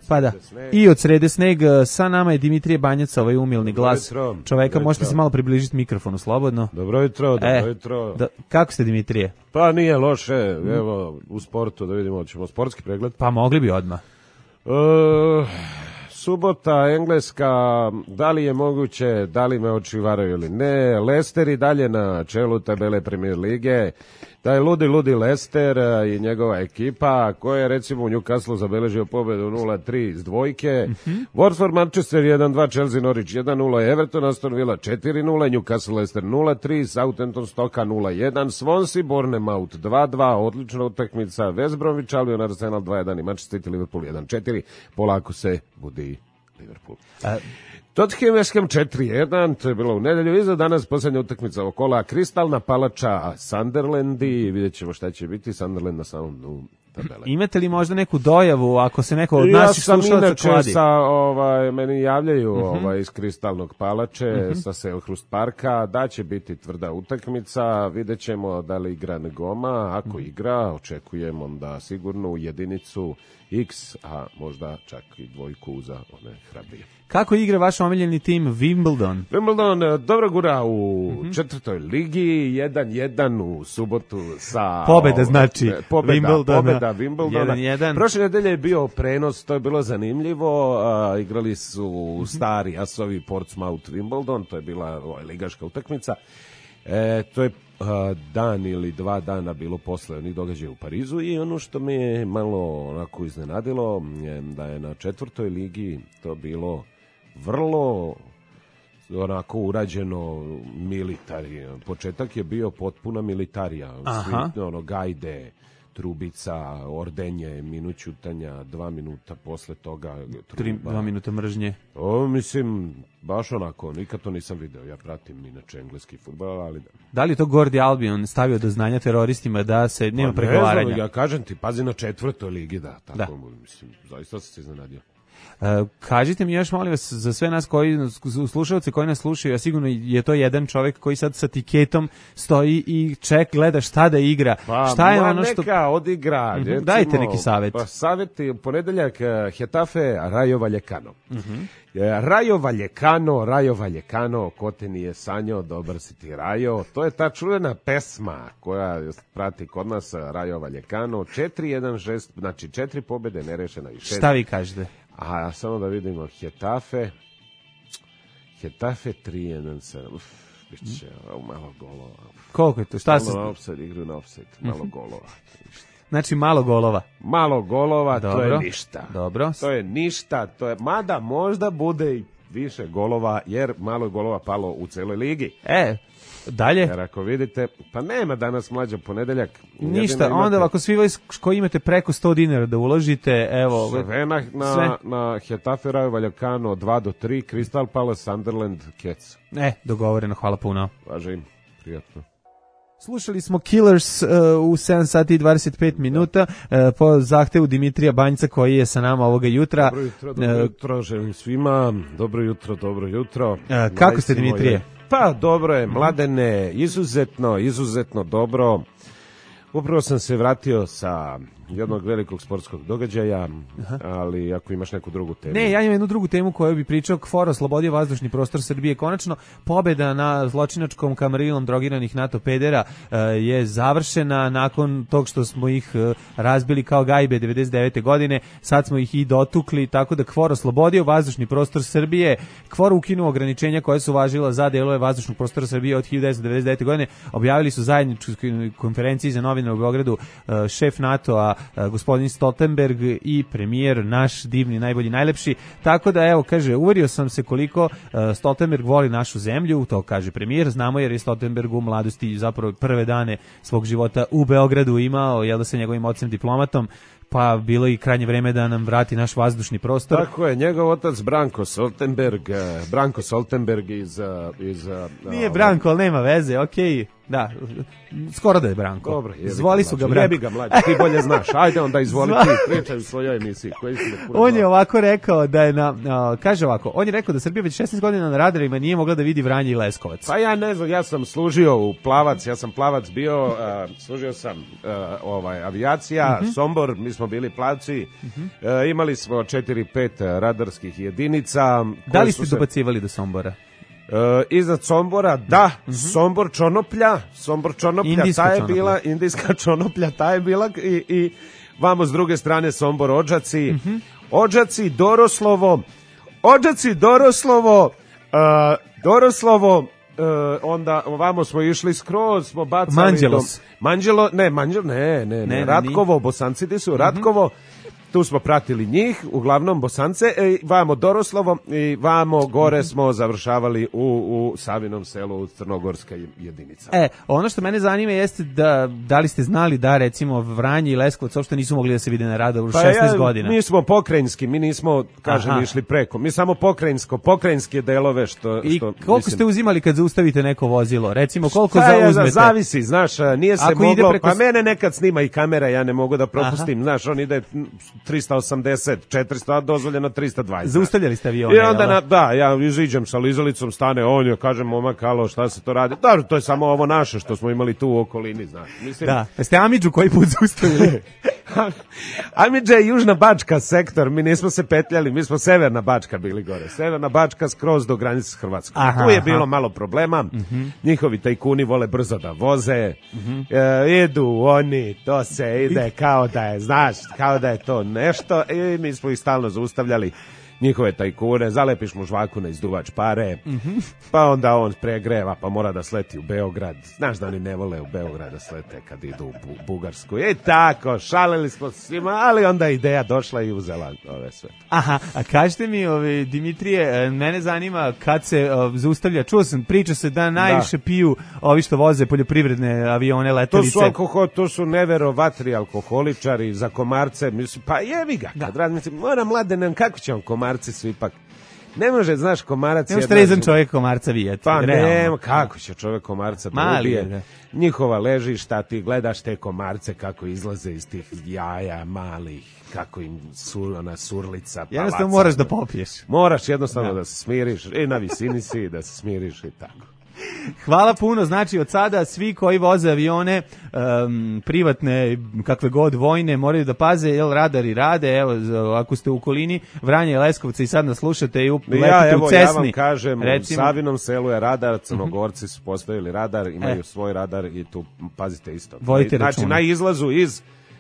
Pa da, i od srede sneg, sa nama je Dimitrije Banjac, ovaj umilni glas čoveka, možete se malo približiti mikrofonu slobodno. Dobro jutro, dobro jutro. Kako ste, Dimitrije? Pa nije loše, evo u sportu da vidimo, ćemo sportski pregled. Pa mogli bi odmah. Subota, Engleska, da li je moguće, da li me oči varaju ili ne, Leicester i dalje na čelu tabele Premier lige, da je ludi Leicester i njegova ekipa, koja je recimo u Newcastle zabeležio pobedu 0-3 s dvojke, Watford, Manchester 1-2, Chelsea, Norwich 1-0, Everton, Aston Villa 4-0, Newcastle, Leicester 0-3, Southampton, Stoka 0-1, Swansea, Bournemouth 2-2, odlična utakmica, West Bromwich Albion, Arsenal 2-1 i Manchester City, Liverpool 1-4, polako se budi Liverpool. Tottenham West Ham 4-1, to je bilo u nedelju, i za danas posljednja utakmica ovog kola, Kristalna palača Sunderland i vidjet ćemo šta će biti, Sunderland na samom dnu tabele. Imate li možda neku dojavu ako se neko od naših slušalaca kladi? Meni javljaju iz Kristalnog palače sa Selhurst parka da će biti tvrda utakmica, vidjet ćemo da li igra Ngoma, ako igra očekujemo onda sigurno u jedinicu X, a možda čak i dvojku za one hrabrije. Kako igra vaš omiljeni tim Wimbledon? Wimbledon dobro gura u četvrtoj ligi, 1-1 u subotu sa... Pobeda znači Pobeda Wimbledona. 1-1. Prošle nedelje je bio prenos, to je bilo zanimljivo, igrali su stari asovi Portsmouth Wimbledon, to je bila ligaška utakmica. To je dan ili 2 dana bilo posle onih događaja u Parizu i ono što me je malo onako iznenadilo da je na četvrtoj ligi to bilo vrlo onako urađeno militari. Početak je bio potpuna militarija. Svi, gajde, trubica, ordenje, minut ćutanja, 2 minuta posle toga truba. 2 minuta mržnje. Mislim, baš onako, nikad to nisam video. Ja pratim inače engleski fudbal, ali da. Da li je to Gordi Albion stavio do znanja teroristima da se nema pregovaranja? Ne znam, ja kažem ti, pazi na četvrtoj ligi, da. Tako, mislim, zaista sam se iznenadio. Kažite mi još, molim vas, za sve nas slušalci koji nas slušaju, a sigurno je to jedan čovjek koji sad sa tiketom stoji i gleda šta da igra. Pa, šta je ono što... neka odigra. Recimo, dajte neki savjet. Pa savjeti, ponedeljak Getafe, Rayo Vallecano. Rayo Vallecano, ko te nije sanjao, dobar si ti Rayo. To je ta čuvena pesma koja prati kod nas Rayo Vallecano. 4-1-6, znači 4 pobjede, nerešena i 6. Šta vi kažete? A samo da vidimo, Getafe 3-1-7, biće malo golova. Koliko je to? Šta se... Igru na offside, malo golova. Znači malo golova. Malo golova, dobro, to je ništa. Dobro. To je ništa, mada možda bude i više golova, jer malo je golova palo u celoj ligi. Dalje? Jer ako vidite, pa nema danas mlađa ponedeljak. Ništa, onda ako svi koji imate preko 100 dinara da uložite, evo... Sve na Getafe, Rayo Vallecano 2-3, Crystal Palace, Sunderland, Cats. Dogovoreno, hvala puno. Važe im, prijatno. Slušali smo Killers u 7 sati i 25 minuta po zahtevu Dimitrija Banjca koji je sa nama ovoga jutra. Dobro jutro, želim svima. Dobro jutro. Kako ste, Dimitrije? Pa dobro je, Mladene, izuzetno dobro. Upravo sam se vratio sa jednog velikog sportskog događaja, ali ako imaš neku drugu temu. Ne, ja imam jednu drugu temu koju bi pričao. KFOR oslobodio vazdušni prostor Srbije. Konačno, pobeda na zločinačkom kamarilom drogiranih NATO pedera je završena nakon tog što smo ih razbili kao gajbe 99. godine. Sad smo ih i dotukli, tako da KFOR oslobodio vazdušni prostor Srbije. KFOR ukinuo ograničenja koje su važila za delove vazdušnog prostora Srbije od 1999. godine. Objavili su zajedničkoj konferenciji za novinare u Beogradu šef NATO-a gospodin Stoltenberg i premijer naš divni, najbolji, najlepši. Tako da, evo, kaže, uverio sam se koliko Stoltenberg voli našu zemlju, to kaže premijer. Znamo jer je Stoltenberg u mladosti zapravo prve dane svog života u Beogradu imao, jel da sa njegovim ocem diplomatom, pa bilo i krajnje vreme da nam vrati naš vazdušni prostor. Tako je, njegov otac Branko Stoltenberg iz Nije Branko, ali nema veze, okej. Da, skoro da je Branko. Dobro, zvoli su ga Branko. Jebi ga mlađe, ti bolje znaš. Ajde onda izvoli ti, pričaj u svojoj emisiji. On je ovako rekao da je kaže ovako, on je rekao da Srbija već 16 godina na radarima nije mogla da vidi Vranje i Leskovac. Pa ja ne znam, ja sam služio u Plavac, ja sam Plavac bio, služio sam avijacija, Sombor, mi smo bili Plavci, imali smo 4-5 radarskih jedinica. Da li ste dobacivali do Sombora? Iznad Sombora, da, Sombor Čonoplja, Indijska ta je Čonoplja. bila, Indijska Čonoplja, ta je bila i vamo s druge strane Sombor Odžaci, Odžaci, Doroslovo, onda ovamo smo išli skroz, smo bacali Manđelos. Ne, Ratkovo, Bosanci di su, Ratkovo, tu smo pratili njih, uglavnom Bosance, vamo Doroslovo i vamo gore smo završavali u Savinom selu, u Crnogorska jedinica. Ono što mene zanima jeste da li ste znali da recimo Vranje i Leskovac uopšte nisu mogli da se vide na radaru 16 godina. Mi smo pokrajinski, mi nismo, išli preko. Mi samo pokrajinske delove što I koliko ste uzimali kad zaustavite neko vozilo? Recimo koliko zauzmete? Zavisi, znaš, nije se Ako moglo, preko... pa mene nekad snima i kamera, ja ne mogu da propustim, znaš, on ide 380, 400, a dozvoljeno 320. Zaustavljali ste avione, i onda ja iziđem sa lizalicom, stane on, ja kažem, momak, alo, šta se to radi? Dobro, to je samo ovo naše što smo imali tu u okolini, znaš. Mislim, da, jeste Amidžu koji put zaustavili? Amidža je Južna Bačka sektor, mi nismo se petljali, mi smo Severna Bačka bili gore. Severna Bačka skroz do granice s Hrvatskom. Tu je bilo malo problema, njihovi tajkuni vole brzo da voze, idu oni, to se ide kao da je, znaš, kao da je to nešto i mi smo ih stalno zaustavljali, njihove tajkune, zalepiš mu žvaku na izduvač pare, pa onda on pregreva, pa mora da sleti u Beograd. Znaš da oni ne vole u Beograd da slete kad idu u Bugarsku. I tako, šalili smo svima, ali onda ideja došla i uzela ove sve. Aha, a kažete mi, Dimitrije, mene zanima kad se zaustavlja, čuo sam, priča se da najviše piju ovi što voze poljoprivredne avione, letelice. To su neverovatni alkoholičari za komarce, mislim, pa jevi ga, kad razmislim, moram mladen, kako će on komarci su ipak, ne može, znaš, komarac je... Ne može trezan čovjek komarca vijeti. Pa nema, kako će čovjek komarca da ubije? Njihova ležišta, ti gledaš te komarce kako izlaze iz tih jaja malih, kako im ona surlica, palaca. Jednostavno moraš da popiješ. Moraš jednostavno da se smiriš, i na visini si, da se smiriš i tako. Hvala puno, znači od sada svi koji voze avione, privatne, kakve god vojne, moraju da paze, jer radari rade, evo, ako ste u okolini Vranja i Leskovca i sad nas slušate i letite u Cesni. Ja vam kažem, recimo, u Savinom selu je radar, Crnogorci su postavili radar, imaju svoj radar i tu pazite isto. Vojte računa. Znači,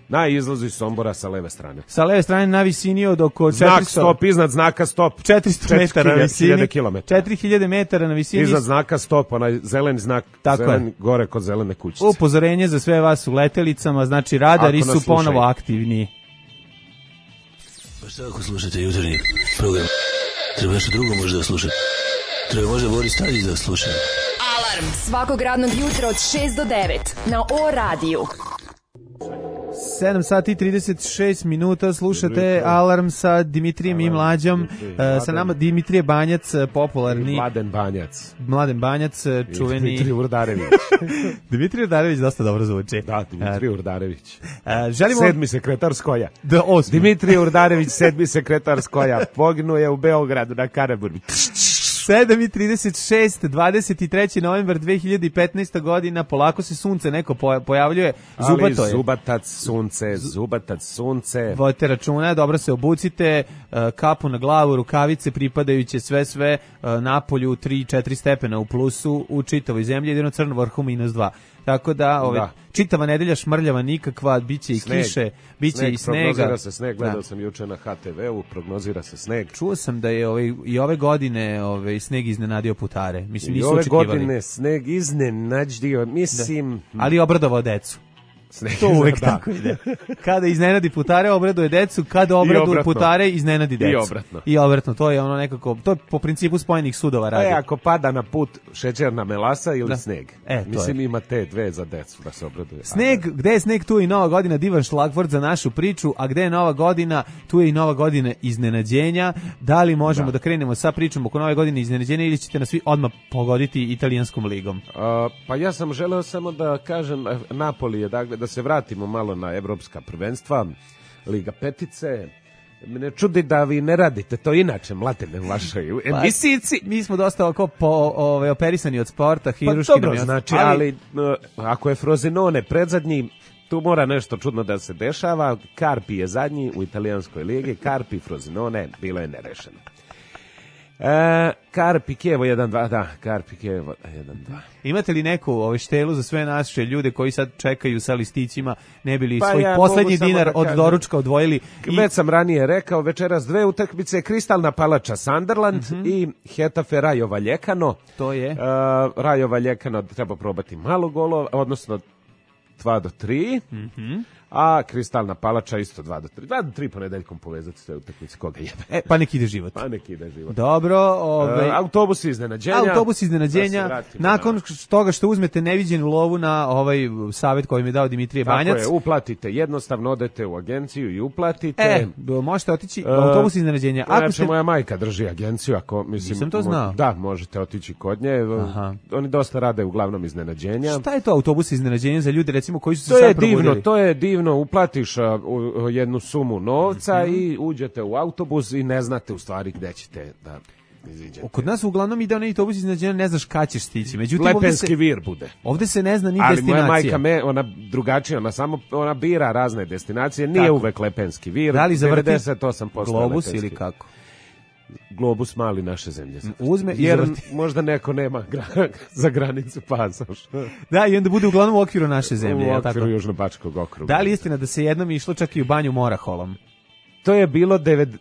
na izlazu iz Sombora sa leve strane. Sa leve strane na visini od oko 400... Znak stop, iznad znaka stop. 400 metara na visini. 4000 metara na visini. Iznad znaka stop, onaj zeleni znak, zeleni, gore kod zelene kućice. Upozorenje za sve vas u letelicama, znači radari su ponovo aktivni. Pa šta ako slušate jutarnji program? Treba nešto drugo možda da slušate. Treba možda Boris Tadić da sluša. Alarm svakog radnog jutra od 6 do 9 na O radiju. 7 sati i 36 minuta, slušate Alarm sa Dimitrijem i Mlađom, sa nama Dimitrije Banjac, popularni... Mladen Banjac, čuveni... Dimitrije Urdarević. Dimitrije Urdarević dosta dobro zvuči. Da, Dimitrije Urdarević. Želimo... 7. sekretar Skoja. Da, 8. Dimitrije Urdarević, 7. sekretar Skoja. Poginuo je u Beogradu na Karaburmi. 7:36, 23. novembar 2015. godina, polako se sunce neko pojavljuje, zubato je. Zubatac sunce. Vodite računa, dobro se obucite, kapu na glavu, rukavice pripadajuće, sve napolju 3-4 stepena u plusu, u čitavoj zemlji, jedino Crno vrhu -2. Tako da, čitava nedelja šmrljava nikakva, biće i kiše, biće i snega. Prognozira se sneg, gledao sam juče na HTV-u, prognozira se sneg. Čuo sam da je i ove godine sneg iznenadio putare. Mislim, I nisu ove očekivali. Godine sneg iznenadio, mislim... Da. Ali obradovao decu. To uvek tako ide. Kada iznenadi putare, obraduje decu, kada obraduje putare, iznenadi decu. I obratno. To je ono nekako, to je po principu spojenih sudova radi. Ako pada na put šećerna melasa ili sneg. Mislim, ima te dve za decu da se obraduje. Sneg, gde je sneg, tu je i Nova godina, divan šlagvort za našu priču, a gde je Nova godina, tu je i Nova godina iznenađenja. Da li možemo da krenemo sa pričom oko Nove godine iznenađenja ili ćete nas svi odmah pogoditi italijanskom ligom? Pa ja sam želeo samo da kažem, Napoli je, dakle, da se vratimo malo na evropska prvenstva, Liga petice. Mene čudi da vi ne radite to inače, mlatine u vašoj emisijici. Mi smo dosta operisani od sporta, hiruški. Pa dobro, znači, ali ako je Frosinone predzadnji, tu mora nešto čudno da se dešava. Carpi je zadnji u italijanskoj ligi, Carpi, Frosinone, bilo je nerešeno. Carpi Kievo 1-2, da, Carpi Kievo 1-2. Imate li neku štelu za sve naše ljude koji sad čekaju sa listićima, ne bili svoj poslednji dinar od doručka odvojili? Već sam ranije rekao, večeras dve utakmice, Kristalna Palača Sunderland i Hetafe Rayo Vallecano. To je? Rayo Vallecano treba probati malo golova, odnosno 2-3. A Kristalna Palača isto 2-3. 2-3 ponedeljkom povezati sve utakmice, koga jebe. Pa neki ide život. Dobro. Autobus iznenađenja. Nakon toga što uzmete neviđenu lovu na ovaj savjet koji mi je dao Dimitrije Banjac. Tako je, uplatite. Jednostavno odete u agenciju i uplatite. Možete otići autobus iznenađenja. Moja majka drži agenciju. Nisam to znao. Da, možete otići kod nje. Oni dosta rade uglavnom iznenađenja. Šta je to autobus iznenađenja za ljude, recimo, koji su se sad probudili? To je divno, uplatiš jednu sumu novca i uđete u autobus i ne znate u stvari gde ćete da iziđete. Kod nas uglavnom ide onaj autobus iznenađenja, ne znaš kad ćeš stići. Međutim, Lepenski vir bude. Ovde se ne zna ni ali destinacija. Ali moja majka, ona drugačija, ona bira razne destinacije, nije uvek Lepenski vir. Da li zavrti 98% globus ili kako? Globus mali naše zemlje. Uzme jer možda neko nema za granicu pasoš. Da, i onda bude uglavnom u okviru naše zemlje. U okviru Južnobačkog okruga. Da li istina da se jednom išlo čak i u banju Moraholom? To je bilo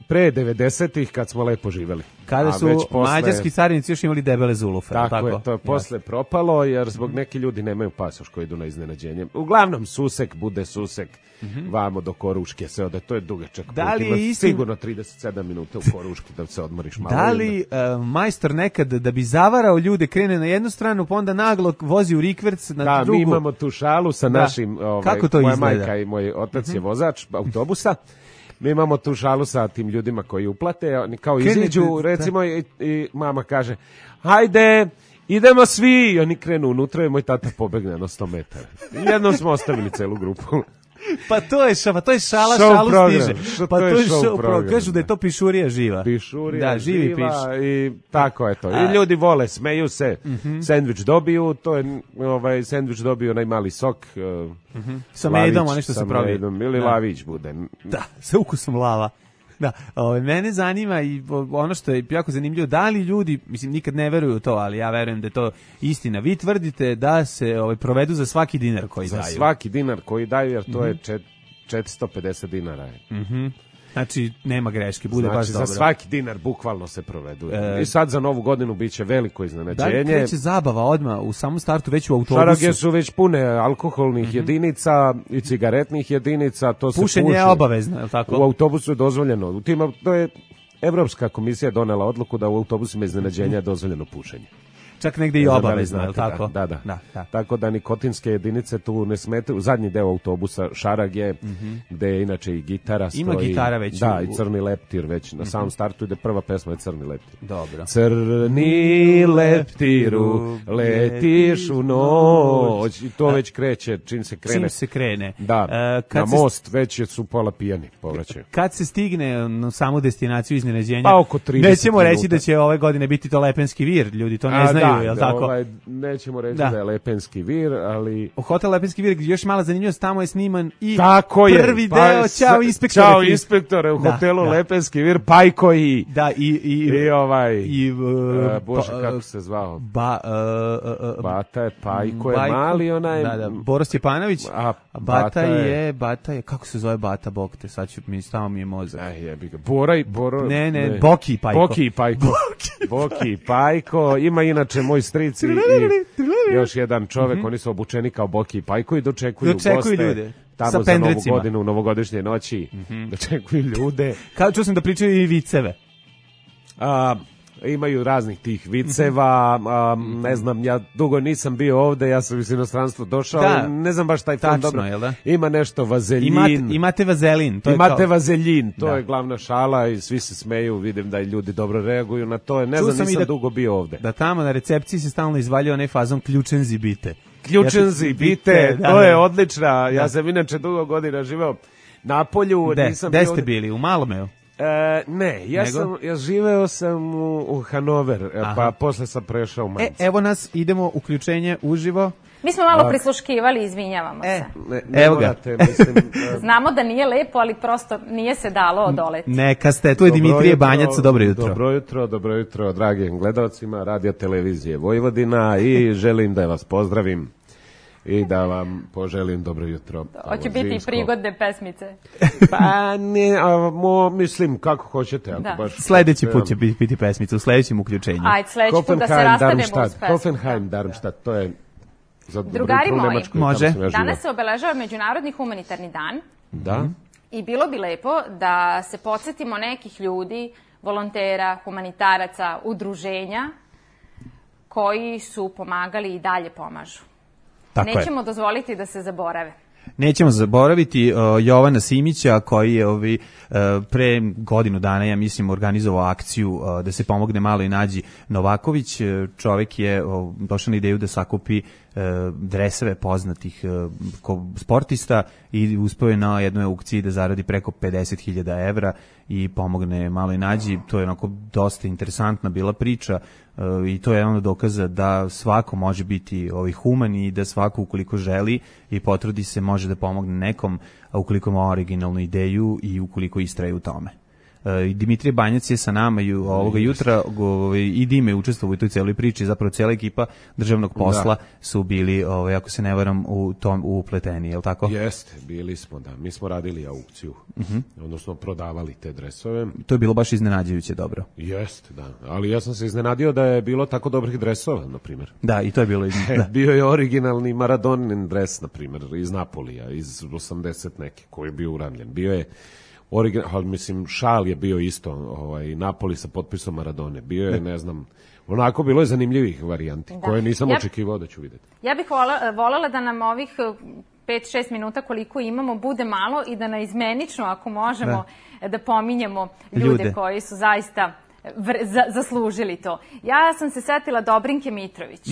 pre 90-ih kad smo lepo živeli. Kada su mađarski carinici još imali debele zulufe. Tako je, to je posle propalo jer zbog neki ljudi nemaju pasoš koji idu na iznenađenje. Uglavnom Susek bude Susek, vamo do Koruške se ode, to je dugačak put. Sigurno 37 minuta u Koruški da se odmoriš malo. Da li majstor nekad da bi zavarao ljude krene na jednu stranu pa onda naglo vozi u rikverc na drugu? Da, mi imamo tu šalu sa našim, kako to moja izgleda? Majka i moj otac je vozač autobusa. Mi imamo tu šalu sa tim ljudima koji uplate, oni kao iziđu, recimo, i mama kaže, hajde, idemo svi, i oni krenu unutra i moj tata pobegne na 100 metara. Jednom smo ostavili celu grupu. Pa to je šala stiže. Pa to je show program. Kažu da je to pišurija živa. Da, živi piš. I tako je to. I ljudi vole, smeju se, sendvič dobiju, to je sendvič dobiju najmali sok. Sa medom, ono što se pravi. Sa medom, ili lavić bude. Da, sa ukusom lava. Da, mene zanima i ono što je jako zanimljivo, da li ljudi, mislim, nikad ne veruju u to, ali ja verujem da je to istina. Vi tvrdite da se provedu za svaki dinar koji daju. Za svaki dinar koji daju, jer to je 450 dinara. Znači, nema greške, bude baš dobro. Za svaki dinar bukvalno se provedu. I sad za Novu godinu biće veliko iznenađenje. Da li kreće zabava odmah u samom startu već u autobusu? Šarage su već pune alkoholnih jedinica i cigaretnih jedinica. To pušenje je obavezno, je li tako? U autobusu je dozvoljeno. To je Evropska komisija donela odluku da u autobusima iznenađenja je dozvoljeno pušenje. Čak negde i obavezno, je li tako? Da. Tako da nikotinske jedinice tu ne smetaju. Zadnji deo autobusa Šarag je, gde je inače i gitara stoji. Ima gitara već. Da, i Crni leptir već. Na samom startu ide prva pesma je Crni leptir. Dobro. Crni leptiru, letiš u noć. I to već kreće, čim se krene. Da, na most već su pola pijani, povraćaju. Kad se stigne na samu destinaciju iznenađenja, pa oko 30 nećemo minuta. Reći da će ove godine biti to Lepenski vir, ljudi to ne znaju, je li tako? Nećemo reći da je Lepenski vir, ali... U hotel Lepenski vir, gdje još mala zanimljivost, tamo je sniman i prvi pa deo Ćao inspektore. Ćao inspektore u hotelu Lepenski vir, Pajko i... Da, i ovaj... Bože, kako se zvao? Bata je, Pajko je mali, onaj... Da, Boro Stjepanović, a Bata je, kako se zove Bata, bog te, sad ću mi, stava mi je mozak. Jebi ga, Boro... Ne, Boki i Pajko. Boki i Pajko, ima inače moj stric i još jedan čovek, oni su obučeni kao Boki i Pajko i dočekuju goste ljude. Tamo sa za Novu godinu, u novogodišnje noći, dočekuju ljude. Kao čuo sam da pričaju i viceve. Imaju raznih tih viceva, ne znam, ja dugo nisam bio ovde, ja sam iz inostranstva došao, ne znam baš taj film dobro. Ima nešto vazeljin. Imate vazelin. Vazeljin, to je glavna šala i svi se smeju, vidim da i ljudi dobro reaguju na to, ne znam, nisam dugo bio ovde. Da tamo na recepciji se stalno izvaljuje onaj fazon ključenzi bite. Ključenzi bite, to je odlična, ja sam inače dugo godina živeo na polju. Gde ste bili, u Malomeu? Ne, ja živeo sam u Hanover, pa posle sam prešao u Mainz. Evo nas, idemo uključenje uživo. Mi smo malo prisluškivali, izvinjavamo se. Evo ga. Znamo da nije lepo, ali prosto nije se dalo odoleti. Neka ste, tu je Dimitrije Banjac, dobro jutro. Dobro jutro, dragim gledalcima Radio Televizije Vojvodina i želim da vas pozdravim i da vam poželim dobro jutro. Hoće biti i prigodne pesmice. Pa ne, mislim kako hoćete. Sledeći put će biti pesmica, u sledećem uključenju. Ajde, sledeći put da se rastanemo uz pesmu. Hoffenheim, Darmstadt, to je... Drugari moji, može. Danas se obeležava Međunarodni humanitarni dan. Da. I bilo bi lepo da se podsjetimo nekih ljudi, volontera, humanitaraca, udruženja koji su pomagali i dalje pomažu. Nećemo dozvoliti da se zaborave. Nećemo zaboraviti Jovana Simića koji je pre godinu dana, ja mislim, organizovao akciju da se pomogne Maloj Nađi Novaković. Čovek je došao na ideju da sakupi dreseve poznatih sportista i uspeo je na jednoj aukciji da zaradi preko 50.000 evra i pomogne Maloj Nađi. To je onako dosta interesantna bila priča i to je ono dokaza da svako može biti human i da svako ukoliko želi i potrudi se može da pomogne nekom, a ukoliko ima originalnu ideju i ukoliko istraje u tome. Dimitrije Banjac je sa nama ovoga jutra i Dime je učestvovao u toj celoj priči, zapravo cijela ekipa državnog posla su bili, ako se ne varam, u tom upleteni, je li tako? Jeste, bili smo, da. Mi smo radili aukciju, odnosno prodavali te dresove. To je bilo baš iznenađujuće dobro. Jeste, da. Ali ja sam se iznenadio da je bilo tako dobrih dresova, na primjer. Da, i to je bilo Bio je originalni Maradonin dres, na primjer, iz Napolija, iz 80 neke, koji je bio uramljen. Bio je mislim, šal je bio isto, Napoli sa potpisom Maradone. Bio je, ne znam, onako bilo je zanimljivih varijanti, koje nisam očekivao da ću vidjeti. Ja bih voljela da nam ovih 5-6 minuta koliko imamo bude malo i da naizmenično, ako možemo, da pominjemo ljude koji su zaista zaslužili to. Ja sam se setila Dobrinke Mitrović.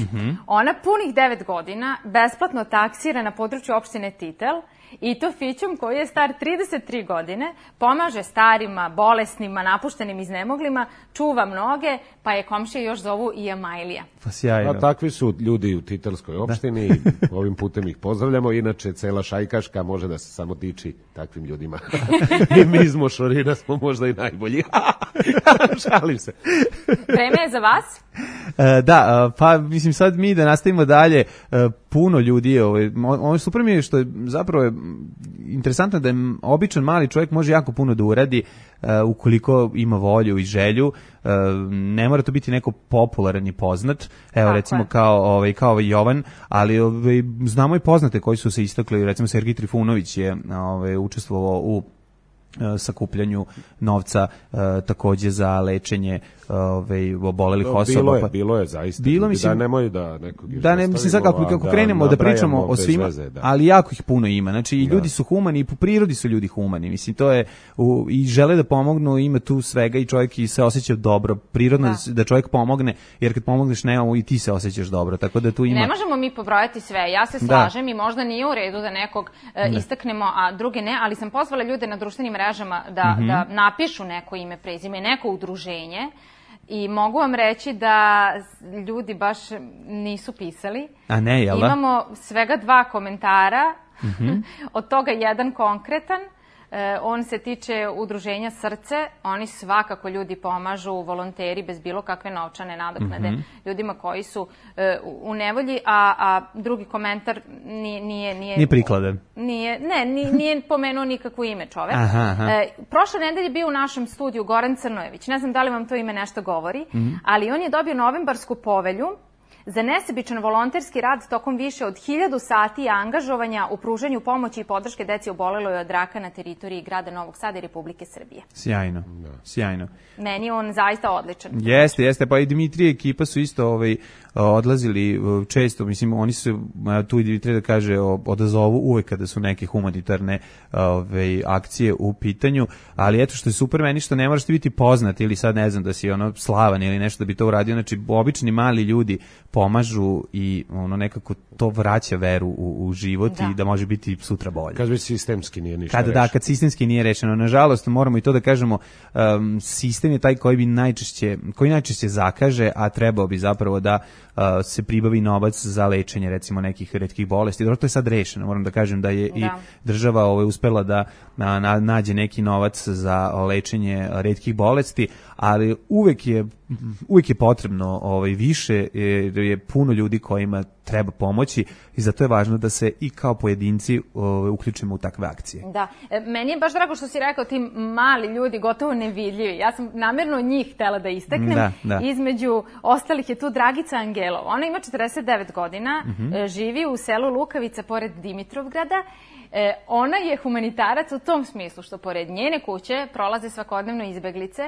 Ona punih 9 godina besplatno taksira na području opštine Titel i to fićom koji je star 33 godine, pomaže starima, bolesnima, napuštenim, iznemoglima, čuva mnoge, pa je komšije još zovu i Amajlija. Pa sjajno. Takvi su ljudi u Titelskoj opštini, ovim putem ih pozdravljamo, inače cela Šajkaška može da se samo diči takvim ljudima. I mi iz Mošorina smo možda i najbolji. Šalim se. Vreme je za vas? Pa mislim sad mi da nastavimo dalje, puno ljudi, ovo super mi je što je zapravo interesantno da je običan mali čovjek može jako puno da uradi ukoliko ima volju i želju, ne mora to biti neko popularan i poznat, evo recimo kao Jovan, ali znamo i poznate koji su se istakli, recimo Sergij Trifunović je učestvovao u sakupljanju novca takođe za lečenje obolelih osoba. Bilo je zaista. Bilo, mislim, da nemoj da nekog da ne, mislim, sad kako krenemo da pričamo o svima, ali jako ih puno ima. Znači, i ljudi su humani, i po prirodi su ljudi humani. Mislim, to je, i žele da pomognu, ima tu svega i čovjek i se osjeća dobro. Prirodno da čovjek pomogne, jer kad pomogneš nekому i ti se osjećaš dobro. Tako da tu ima... Ne možemo mi pobrojati sve. Ja se slažem i možda nije u redu da nekog istaknemo, a druge ne, ali sam pozvala ljude na društvenim mrežama da napišu neko ime, prezime, neko udruženje. I mogu vam reći da ljudi baš nisu pisali. A ne, jel da? Imamo svega 2 komentara, od toga jedan konkretan. On se tiče udruženja Srce. Oni svakako ljudi pomažu, volonteri bez bilo kakve novčane nadoknade ljudima koji su u nevolji, a drugi komentar nije prikladan. Nije pomenuo nikakvo ime čovek. Prošle nedelje bio u našem studiju Goran Crnojević. Ne znam da li vam to ime nešto govori, ali on je dobio novembarsku povelju za nesebičan volonterski rad tokom više od 1000 sati angažovanja u pružanju pomoći i podrške deci oboleloj od raka na teritoriji grada Novog Sada i Republike Srbije. Sjajno, sjajno. Meni je on zaista odličan. Jeste, pa i Dimitrije ekipa su isto odlazili često, mislim, oni su tu i Dimitrije da kaže odazovu uvek kada su neke humanitarne akcije u pitanju, ali eto što je super meni što ne moraš ti biti poznat ili sad ne znam da si slavan ili nešto da bi to uradio, znači obični mali ljudi pomažu i nekako to vraća veru u život i da može biti sutra bolje. Kad već sistemski nije ništa rešeno. Kad sistemski nije rešeno. Nažalost, moramo i to da kažemo, sistem je taj koji najčešće zakaže, a trebao bi zapravo da se pribavi novac za lečenje recimo nekih retkih bolesti. Dobro, to je sad rešeno. Moram da kažem da je i država uspela da nađe neki novac za lečenje retkih bolesti, ali uvek je potrebno više, jer je puno ljudi kojima treba pomoći i zato je važno da se i kao pojedinci uključimo u takve akcije. Da, meni je baš drago što si rekao ti mali ljudi, gotovo nevidljivi. Ja sam namjerno njih htela da istaknem. Između ostalih je tu Dragica Angelov. Ona ima 49 godina, živi u selu Lukavica pored Dimitrovgrada. Ona je humanitarac u tom smislu što pored njene kuće prolaze svakodnevno izbeglice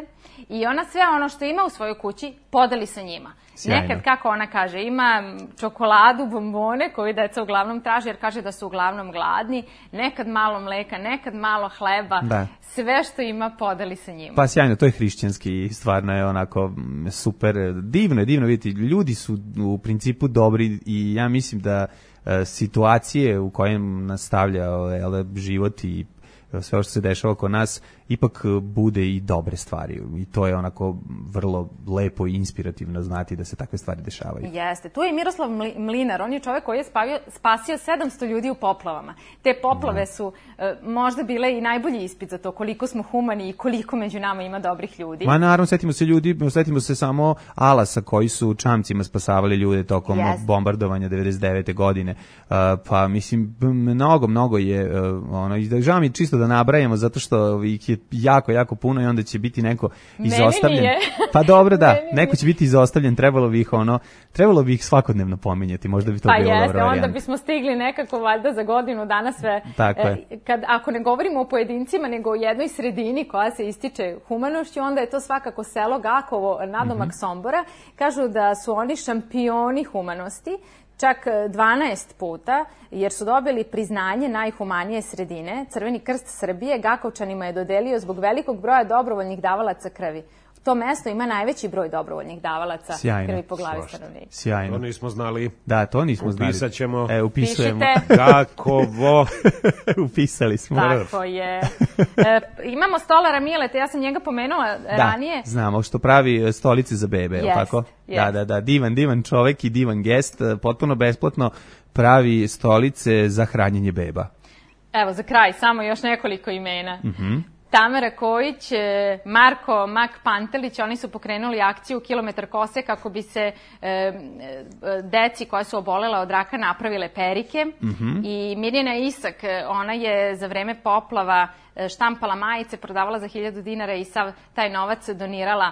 i ona sve ono što ima u svojoj kući podeli sa njima. Sjajno. Nekad, kako ona kaže, ima čokoladu, bombone koju deca uglavnom traže jer kaže da su uglavnom gladni, nekad malo mleka, nekad malo hleba, sve što ima podeli sa njima. Pa sjajno, to je hrišćanski i stvarno je onako super, divno je vidjeti, ljudi su u principu dobri i ja mislim da situacije u kojem nastavlja život i sve što se dešava oko nas ipak bude i dobre stvari i to je onako vrlo lepo i inspirativno znati da se takve stvari dešavaju. Jeste, tu je Miroslav Mlinar, on je čovjek koji je spasio 700 ljudi u poplavama. Te poplave su možda bile i najbolji ispit za to koliko smo humani i koliko među nama ima dobrih ljudi. Ma naravno, setimo se samo Alasa koji su čamcima spasavali ljude tokom bombardovanja 99. godine. Pa mislim, mnogo je žao mi čisto da nabrajamo zato što ih je jako puno i onda će biti neko izostavljen. Meni nije. Pa dobro, da, neko će biti izostavljen, trebalo bi ih svakodnevno pominjati, možda bi to bilo dobro varijanta. Onda bismo stigli nekako valjda za godinu dana sve. Tako je. Ako ne govorimo o pojedincima, nego o jednoj sredini koja se ističe humanošću, onda je to svakako selo Gakovo, nadomak Sombora. Kažu da su oni šampioni humanosti, čak 12 puta, jer su dobili priznanje najhumanije sredine. Crveni krst Srbije Gakovčanima je dodelio zbog velikog broja dobrovoljnih davalaca krvi. To mesto ima najveći broj dobrovoljnih davalaca krvi po glavi stanovnika. Sjajno. To nismo znali. Da, to nismo znali. Upisat ćemo. Upisujemo. Gakovo. Upisali smo. Tako je. Imamo stolara Mileta, ja sam njega pomenula ranije. Da, znamo, što pravi stolice za bebe, je tako? Da, divan čovek i divan gest, potpuno besplatno pravi stolice za hranjenje beba. Evo, za kraj, samo još nekoliko imena. Tamara Kojić, Marko Mak Pantelić, oni su pokrenuli akciju Kilometar kose kako bi se deci koja su obolela od raka napravile perike. I Mirjana Isak, ona je za vreme poplava štampala majice, prodavala za 1000 dinara i sav taj novac donirala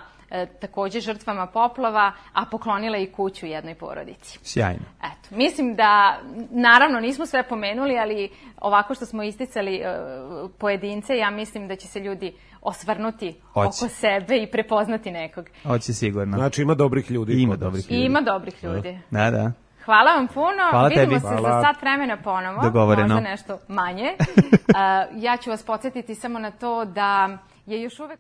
takođe žrtvama poplava, a poklonila i kuću jednoj porodici. Sjajno. Eto, mislim da, naravno, nismo sve pomenuli, ali ovako što smo isticali pojedince, ja mislim da će se ljudi osvrnuti oko sebe i prepoznati nekog. Hoće sigurno. Znači ima dobrih ljudi. Ima dobrih ljudi. Ima dobrih ljudi. Da. Hvala vam puno. Hvala Vidimo tebi. se za sat vremena ponovo. Dogovoreno. Možda nešto manje. Ja ću vas podsjetiti samo na to da je još uvek...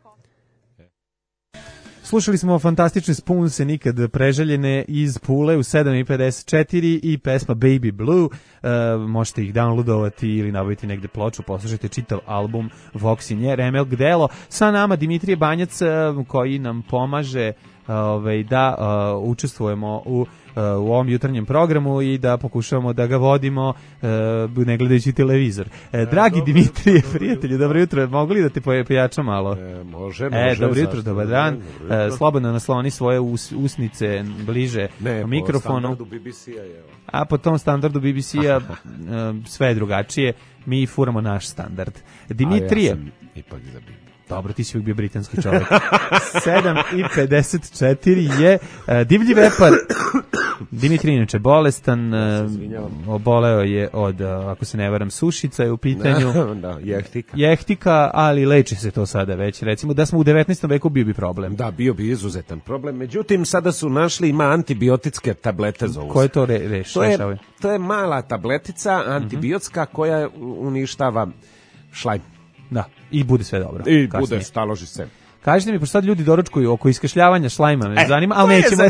Slušali smo fantastične Spoonse, nikad preželjene, iz Pule u 7:54 i pesma Baby Blue. Možete ih downloadovati ili nabaviti negde ploču, poslušajte čitav album Voksinje, Remelk Delo. Sa nama Dimitrije Banjac koji nam pomaže da učestvujemo u ovom jutarnjem programu i da pokušavamo da ga vodimo ne gledajući televizor. Dragi Dimitrije, prijatelji, dobro jutro. Mogu li da te pojačam malo? Može. Dobro jutro, dobar dan. Slobodno nasloni svoje usnice bliže mikrofonu. Po standardu BBC-a je. A po tom standardu BBC-a sve je drugačije. Mi furamo naš standard. Dimitrije. Ja sam ipak za BBC. Dobro, ti si uvijek bio britanski čovjek. 7:54 je divlji vepar. Dimitri inače bolestan, oboleo je od, ako se ne varam, sušica je u pitanju. Da, jehtika. Jehtika, ali leči se to sada već. Recimo da smo u 19. veku bio bi problem. Da, bio bi izuzetan problem. Međutim, sada su našli, ima antibiotske tablete za Koje to rešavaju? To je mala tabletica antibiotska koja uništava šlajm. Da, i bude sve dobro. I bude, staloži se. Kažite mi, pošto sad ljudi doručkuju oko iskašljavanja šlajma, me zanima, ali nećemo...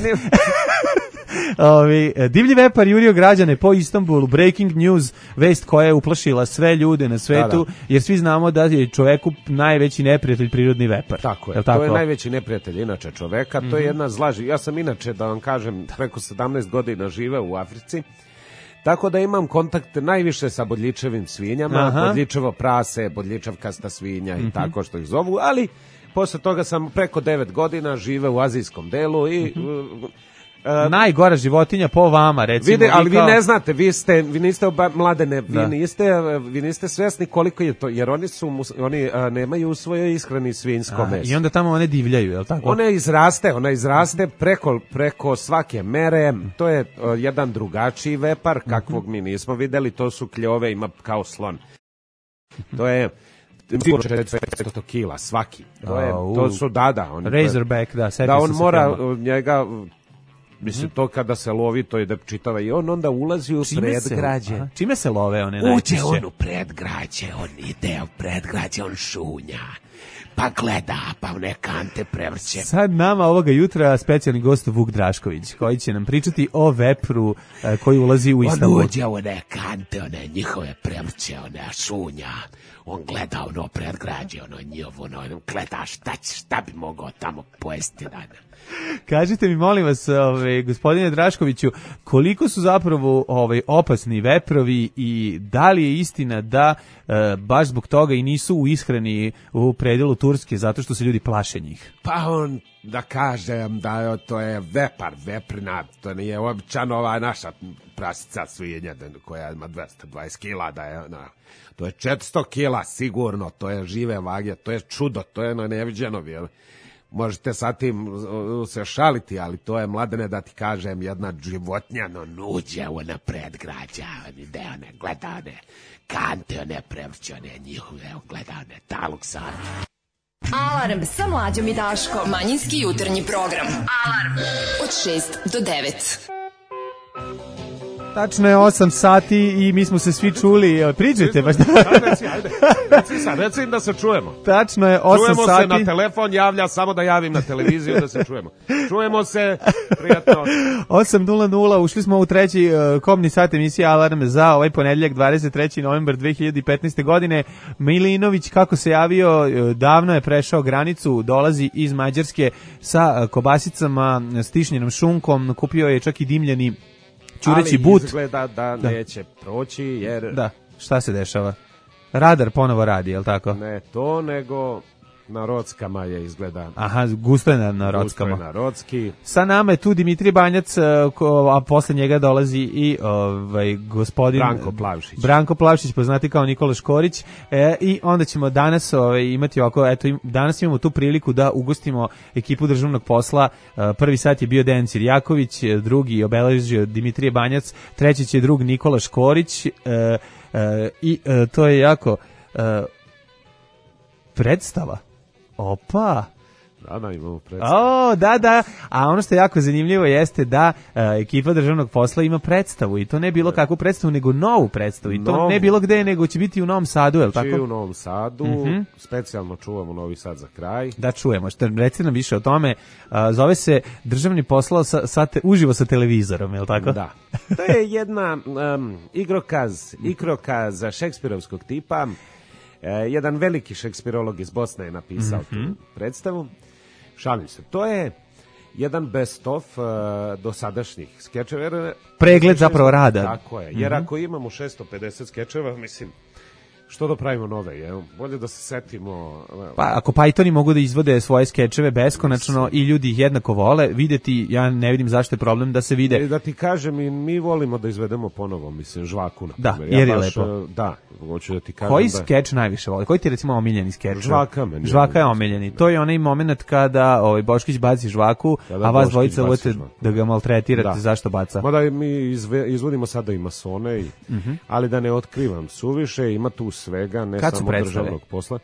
Divlji vepar jurio građane po Istanbulu, breaking news, vest koja je uplašila sve ljude na svetu, jer svi znamo da je čoveku najveći neprijatelj prirodni vepar. Tako je, to je najveći neprijatelj inače čoveka, to je jedna zla. Ja sam inače, da vam kažem, preko 17 godina živeo u Africi, tako da imam kontakt najviše sa bodljičevim svinjama, bodljičevo prase, bodljičavkasta svinja i tako što ih zovu, ali posle toga sam preko 9 godina živeo u azijskom delu i... najgora životinja po vama, recimo. Ali vi ne znate, vi niste mladene, vi niste svesni koliko je to, jer oni nemaju u svojoj ishrani svinjsko meso. I onda tamo one divljaju, je li tako? Ona izraste preko svake mere, to je jedan drugačiji vepar, kakvog mi nismo videli, to su kljove, ima kao slon. To je 400 kila svaki. To su Razorback, da, da on mora njega... Mislim, to kada se lovi, to je da čitava i on onda ulazi u predgrađe. Čime se love one najčešće? Uđe on u predgrađe, on ide u predgrađe, on šunja, pa gleda, pa one kante prevrće. Sad nama ovoga jutra specijalni gost Vuk Drašković, koji će nam pričati o vepru koji ulazi u Istanbul. On uđe u one kante, one njihove prevrće, one šunja. On gleda ono predgrađe, ono njihovo, ono gleda šta bi mogao tamo pojesti dana. Kažite mi, molim vas, gospodine Draškoviću, koliko su zapravo opasni veprovi i da li je istina da baš zbog toga i nisu u ishrani u predelu Turske, zato što se ljudi plaše njih? Pa on, da kažem da to je veprina, to nije običano ova naša prasica svinja koja ima 220 kila, da je to je 400 kila sigurno, to je žive vage, to je čudo, to je neviđeno, jel? Možete sa tim se šaliti, ali to je, Mladene, da ti kažem, jedna životinja, nuđe one predgrađa, ide one, gleda one kante, one prevrće, one njihove, gleda one taluksane. Alarm sa Mlađom i Daškom. Manjinski jutarnji program. Alarm od 6 do 9. Tačno je 8 sati i mi smo se svi čuli. Priđajte baš. Reci im da se čujemo. Tačno je 8 čujemo sati. Čujemo se na telefon, javlja samo da javim na televiziju da se čujemo. Čujemo se, prijatno. 8:00, ušli smo u treći komni sat emisije Alarm za ovaj ponedeljak 23. novembar 2015. godine. Milinović, kako se javio, davno je prešao granicu, dolazi iz Mađarske sa kobasicama, stišnjenom šunkom, kupio je čak i dimljeni čureći but. Ali izgleda da neće proći, jer... Da, šta se dešava? Radar ponovo radi, je li tako? Ne to, nego Na Rockama je izgleda. Aha, gusto je na Rockama. Gusto je na Rocki. Sa nama je tu Dimitrije Banjac, a posle njega dolazi i gospodin Branko Plavšić, poznati kao Nikola Škorić. I onda ćemo danas imati ovako, danas imamo tu priliku da ugostimo ekipu državnog posla. Prvi sat je bio Dejan Cirjaković, drugi obeležio Dimitrije Banjac, treći će drug Nikola Škorić i to je jako predstava. Opa! Da, imamo predstavu. Da. A ono što je jako zanimljivo jeste da ekipa državnog posla ima predstavu i to ne bilo kakvu predstavu, nego novu predstavu. I to ne bilo gde, nego će biti u Novom Sadu, je li tako? U Novom Sadu, specijalno čuvamo Novi Sad za kraj. Da, čujemo. Reci nam više o tome. Zove se državni posao uživo sa televizorom, je li tako? Da. To je jedna igrokaz šekspirovskog tipa. Jedan veliki šekspirolog iz Bosne je napisao tu predstavu. Šalim se. To je jedan best of dosadašnjih skečeva. Pregled zapravo rada. Tako je. Jer ako imamo 650 skečeva, mislim, što da pravimo nove, je? Bolje da se setimo. Pa ako Pythoni mogu da izvode svoje skečeve beskonačno i ljudi ih jednako vole, videti, ja ne vidim zašto je problem da se vide. Da ti kažem, i mi volimo da izvedemo ponovo, mislim, Žvaku, na da, primjer. Jer je lepo. Da, hoću da ti kažem. Koji skeč najviše voli? Koji ti recimo omiljeni skeč? Žvaka je omiljeni. To je onaj moment kada Boškić baci žvaku, a vas dvojica uvete da ga maltretirate, zašto baca. Mada mi izvodimo sada i masone, ali da ne otkrivam suviše, ima tu svega, ne samo državnog posla.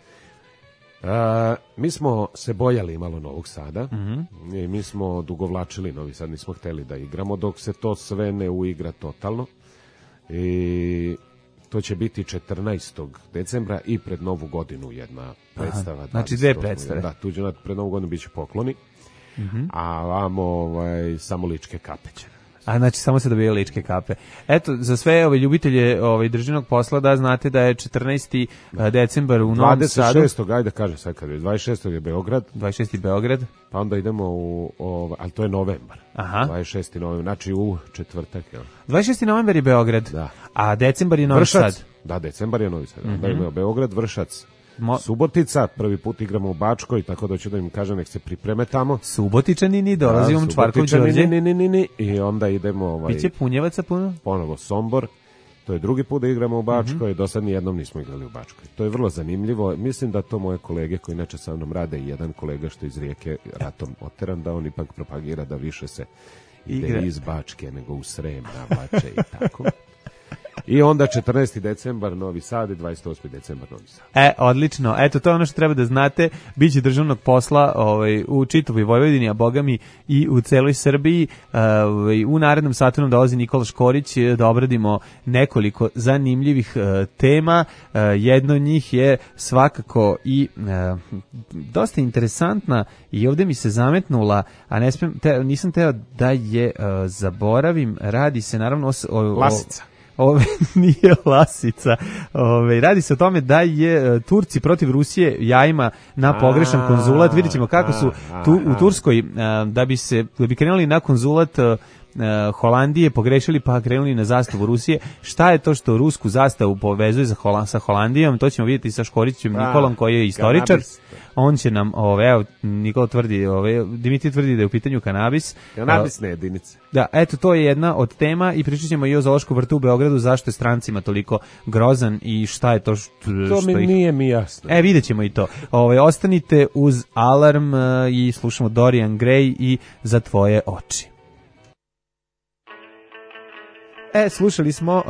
Mi smo se bojali malo Novog Sada i mi smo odugovlačili Novi Sad, nismo hteli da igramo dok se to sve ne uigra totalno i to će biti 14. decembra i pred Novu godinu jedna predstava. Znači dve predstave. Da, tuđe pred Novu godinu bit će pokloni, a vamo samo ličke kape će. A znači samo se dobije ličke kape. Eto, za sve ljubitelje državnog posla da znate da je 14. decembar u Novom Sadu. 26. ajde kaže sad kad je 26. je Beograd. 26. Beograd. Pa onda idemo ali to je novembar. Aha. 26. novembar, znači u četvrtak. 26. novembar je Beograd. Da. A decembar je Novi Sad. Da, decembar je Novi Sad. Da imamo Beograd, Vršac. Subotica, prvi put igramo u Bačkoj, tako da ću da im kažem nek se pripreme tamo. Subotičani, dolazimo Čvarkov Đorđe. I onda idemo Biće Punjevaca puno? Ponovo Sombor. To je drugi put da igramo u Bačkoj, do sad nijednom nismo igrali u Bačkoj. To je vrlo zanimljivo. Mislim da to moje kolege koji inače sa mnom rade i jedan kolega što iz Rijeke ratom oteran, da on ipak propagira da više se ide iz Bačke nego u Srem, na Bače i tako. I onda 14. decembar Novi Sad i 28. decembar Novi Sad. Odlično. Eto, to je ono što treba da znate. Biće državnog posla u čitavoj Vojvodini, a bogami i u celoj Srbiji. U narednom satu nam dolazi Nikola Škorić da obradimo nekoliko zanimljivih tema. Jedno od njih je svakako i dosta interesantna i ovdje mi se zametnula, a nisam teo da je zaboravim. Radi se naravno Lasica. Nije Lasica. Radi se o tome da je Turci protiv Rusije jajima na pogrešan konzulat. Vidjet ćemo kako su tu u Turskoj da bi krenuli na konzulat Holandije, pogrešili pa krenuli na zastavu Rusije. Šta je to što rusku zastavu povezuje sa Holandijom? To ćemo vidjeti sa Škorićem Nikolom koji je istoričar. On će nam, Nikola tvrdi, Dimitrij tvrdi da je u pitanju kanabis. Kanabisne jedinice. Da, eto, to je jedna od tema i pričat ćemo i o zoološkom vrtu u Beogradu, zašto je strancima toliko grozan i šta je to to mi nije mi jasno. Vidjet ćemo i to. Ostanite uz Alarm i slušamo Dorian Gray i Za tvoje oči. Slušali smo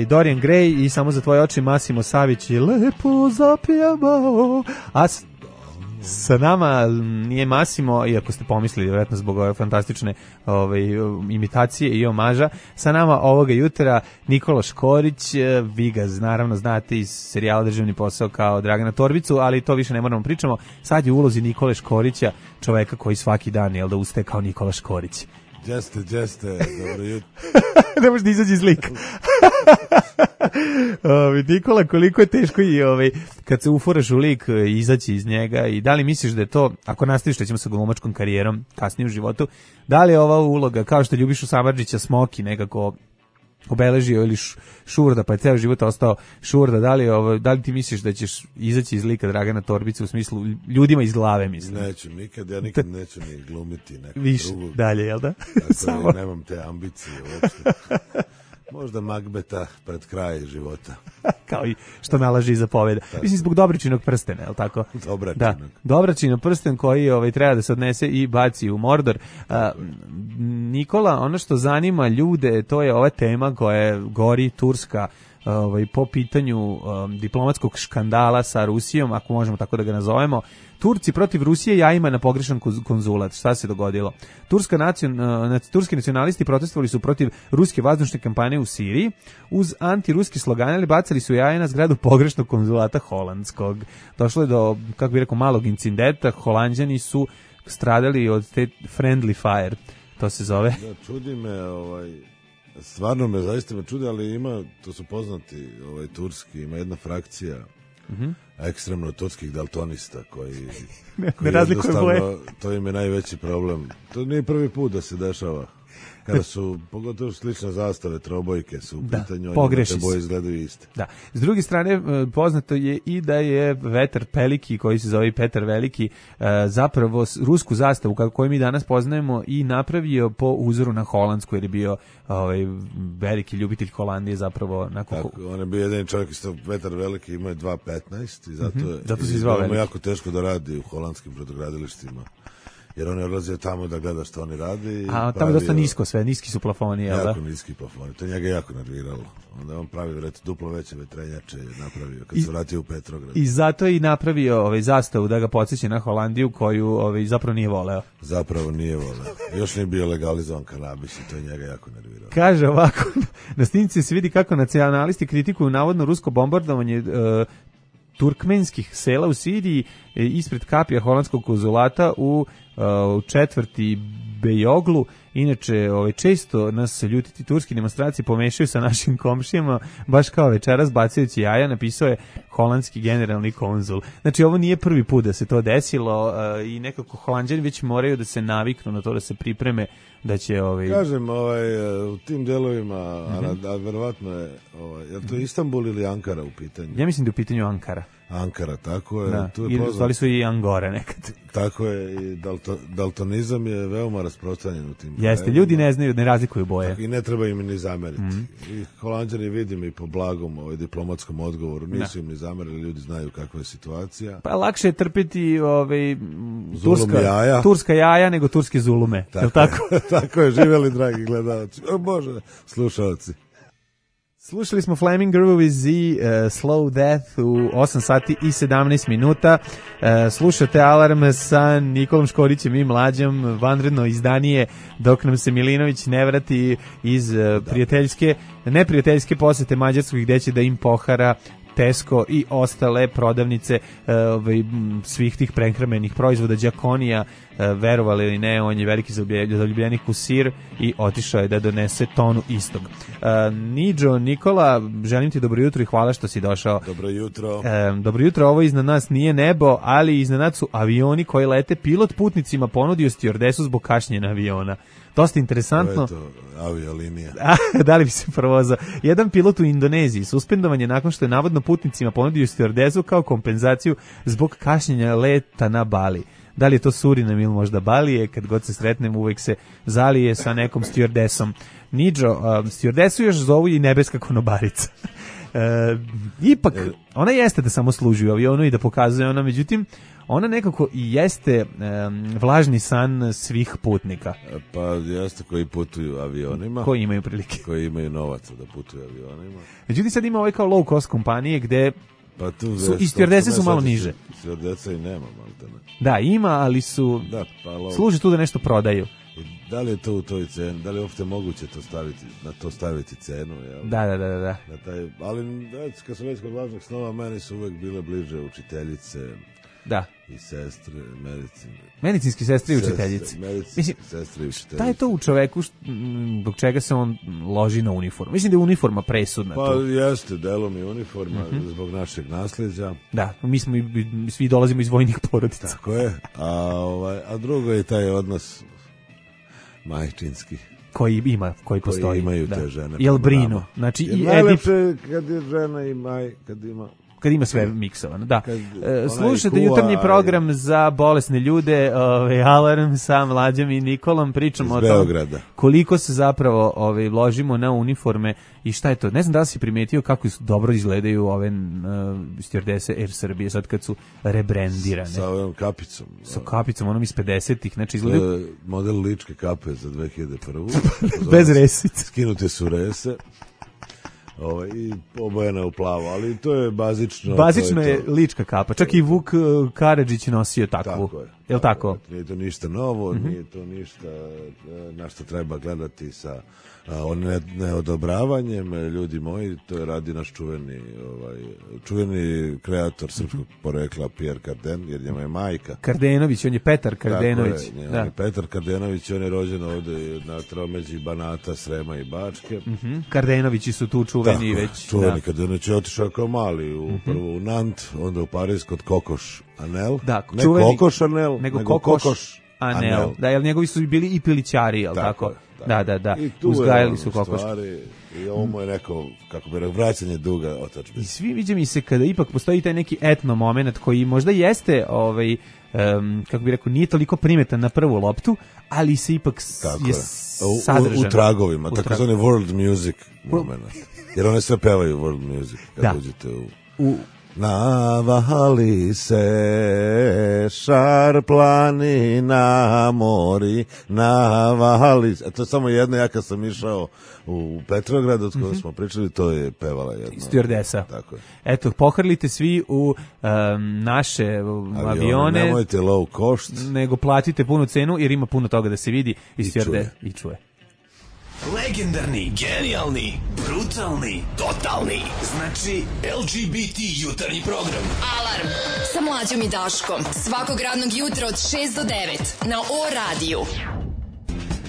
Dorian Gray i Samo za tvoje oči, Massimo Savić i Lepo zapijamo. A sa nama nije Massimo, iako ste pomislili vjerojatno zbog ove fantastične imitacije i omaža, sa nama ovoga jutra Nikola Škorić. Vi ga naravno znate iz serijala Državni posao kao Dragana Torbicu, ali to više ne moramo pričamo. Sad je u ulozi Nikole Škorića, čoveka koji svaki dan ustaje kao Nikola Škorić. Jeste, dobro jutro. Ne možeš da izađi iz lika. Nikola, koliko je teško i kad se ufuraš u lik izaći iz njega i da li misliš da je to, ako nastaviš ćemo sa glumačkom karijerom kasnije u životu, da li je ova uloga, kao što Ljubišu Samardžića Smoki nekako obeležio ili šurda, pa je ceo život ostao šurda. Da li ti misliš da ćeš izaći iz lika Dragana Torbice u smislu ljudima iz glave, mislim? Neću, ja nikad neću ni glumiti nekog više drugog. Dalje, jel da? Tako nemam te ambicije uopšte. Možda Magbeta pred kraj života. Kao i što nalaže i zapoveda. Mislim, zbog Dobričinog prstena, je li tako? Dobračinog. Da, Dobračinov prsten koji treba da se odnese i baci u Mordor. Nikola, ono što zanima ljude, to je ova tema koja gori Turska po pitanju diplomatskog škandala sa Rusijom, ako možemo tako da ga nazovemo. Turci protiv Rusije jajima na pogrešan konzulat. Šta se dogodilo? Turski nacionalisti protestovali su protiv ruske vazdušne kampanje u Siriji. Uz antiruski slogane ali bacali su jaja na zgradu pogrešnog konzulata holandskog. Došlo je do, kako bih rekao, malog incidenta. Holanđani su stradali od te friendly fire. To se zove. Da, čudi me, stvarno me zaista čudi, ali to su poznati turski, ima jedna frakcija ekstremno turskih daltonista koji ne razlikuju boje. To im je najveći problem. To nije prvi put da se dešava. Kada su, pogotovo slične zastave, trobojke su u pitanju, te boje izgledaju iste. Da. S druge strane, poznato je i da je Vetar Peliki, koji se zove Petar Veliki, zapravo rusku zastavu, koju mi danas poznajemo, i napravio po uzoru na holandsku, jer je bio veliki ljubitelj Holandije zapravo. Tako, on je bio jedan čovjek, isto Vetar Veliki, ima je 2.15 i zato se zvao Veliki. Jako teško da radi u holandskim brodogradilištima. Jer on je odlazio tamo da gleda što oni radi. A tamo je dosta nisko sve, niski su plafoni, jel da? Jako niski plafoni, to njega jako nerviralo. Onda on pravi duplo veće vetrenjače napravio kad se vratio u Petrograd. I zato je i napravio zastavu da ga podsjeća na Holandiju koju zapravo nije voleo. Zapravo nije voleo. Još nije bio legalizovan kanabis i to je njega jako nerviralo. Kaže ovako, na snimci se vidi kako nacionalisti kritikuju navodno rusko bombardovanje turkmenskih sela u Siriji ispred kapija holandskog konzulata u četvrti Bejoglu. Inače, često nas ljutiti turski demonstracije pomešaju sa našim komšijama, baš kao večeras bacajući jaja, napisao je holandski generalni konzul. Znači, ovo nije prvi put da se to desilo i nekako Holanđani već moraju da se naviknu na to, da se pripreme da će Kažem, u tim delovima, a verovatno je, je to Istanbul ili Ankara u pitanju? Ja mislim da je u pitanju Ankara. Ankara, tako je. Da. Tu je zvali su i Angore nekad. Tako je, i daltonizam je veoma rasprostranjen u tim. Jeste, ljudi ne znaju, ne razlikuju boje. Tako, i ne treba im ni zameriti. I Holanđani vidim i po blagom diplomatskom odgovoru, nisu im ni zamerili, ljudi znaju kakva je situacija. Pa lakše je trpiti jaja. Turska jaja nego turske zulume. Tako? Tako je, živjeli dragi gledalci. O Bože, slušalci. Slušali smo Flaming Grooves i Slow Death u 8 sati i 17 minuta. Slušate Alarm sa Nikolom Škorićem i Mlađom, vanredno izdanije, dok nam se Milinović ne vrati iz neprijateljske posete Mađarskoj, gde će da im pohara Tesco i ostale prodavnice svih tih prehrambenih proizvoda. Đakonija, verovali ili ne, on je veliki zaljubljenik u sir i otišao je da donese tonu istog. Niđo, Nikola, želim ti dobro jutro i hvala što si došao. Dobro jutro. Dobro jutro, ovo iznad nas nije nebo, ali iznad nas su avioni koji lete. Pilot putnicima ponudio stjuardesu zbog kašnjenja aviona. Dosta interesantno. To je to, aviolinija. Da li bi se provozao? Jedan pilot u Indoneziji suspendovan je nakon što je navodno putnicima ponudio stjuardezu kao kompenzaciju zbog kašnjenja leta na Bali. Da li je to Surinam ili možda Balije, kad god se sretnem uvek se zalije sa nekom stjuardesom. Niđo, stjuardesu još zovu i nebeska konobarica. Ipak, ona jeste da samo služi u avionu i da pokazuje ona, međutim, ona nekako i jeste vlažni san svih putnika. Pa jeste, koji putuju avionima. Koji imaju prilike. Koji imaju novaca da putuju avionima. Međutim, sad ima kao low cost kompanije gde pa tu i stjuardese su malo niže. Stjuardesa i nema, malo. Da, ima, ali su služi tu da nešto prodaju. I da li je to u toj ceni, da li je uopšte moguće to staviti cenu? Jel? Da. Ali kad sam već kod važnog snova, meni su uvek bile bliže učiteljice. Da. I sestre, medicinske sestre i učiteljice. Mislim, sestre i učiteljice. Šta je to u čoveku zbog čega se on loži na uniformu? Mislim da je uniforma presudna. Pa jeste, delom je uniforma zbog našeg nasljeđa. Da, mi svi dolazimo iz vojnih porodica. Tako je. A drugo je taj odnos majčinski. koji postoji. Imaju te žene. Jel brinu. Znači, i najlepše kad je žena kad ima sve miksovano, da. Slušajte jutarnji program za bolesne ljude, Alarm sa Mlađom i Nikolom, pričamo o tome koliko se zapravo vložimo na uniforme i šta je to. Ne znam da li si primetio kako dobro izgledaju ove stjordese Air Srbije sad kad su rebrendirane. Sa ovom kapicom. Sa kapicom, onom iz 50-ih, znači izgledaju... Model ličke kape za 2001. Bez resice. Skinute su rese. I obojena u plavo, ali to je bazično. Bazično je lička kapa, čak i Vuk Karadžić nosio takvu. Tako je. Je li tako? Nije to ništa novo, nije to ništa na što treba gledati sa neodobravanjem. Ljudi moji, to radi naš čuveni kreator srpskog porekla Pierre Cardin, jer njema je majka. Kardenović, on je Petar Kardenović. Tako je, on je Petar Kardenović, on je rođen ovde na tromeđi Banata, Srema i Bačke. Kardenovići su tu čuveni već. Čuveni Kardenović je otišao kao mali, prvo u Nant, onda u Pariz kod Kokoš Anel. Da, ne Kokoš Anel, nego Kokoš Anel. Da, jer njegovi su bili i pilićari, jel tako? Da. I tu uzgajali su kokoš. I ovo mu je neko, kako bi rekao, vraćanje duga otadžbine. I svi viđa mi se kada ipak postoji taj neki etno moment koji možda jeste, kako bi rekao, nije toliko primetan na prvu loptu, ali se ipak je sadržan. U tragovima, takozvani world music moment. Jer one sve pevaju world music kad uđete u... Navali se šar planina mori, navali se. To je samo jedno, ja kad sam išao u Petrograd, od koga smo pričali, to je pevala jedna. Stjordesa. Tako je. Eto, pohrlite svi u naše avione. Nemojte low cost. Nego platite punu cenu, jer ima puno toga da se vidi i čuje. Legendarni, genijalni, brutalni, totalni. Znači LGBT jutarnji program. Alarm sa Mlađom i Daškom. Svakog radnog jutra od 6 do 9 na O-radiju.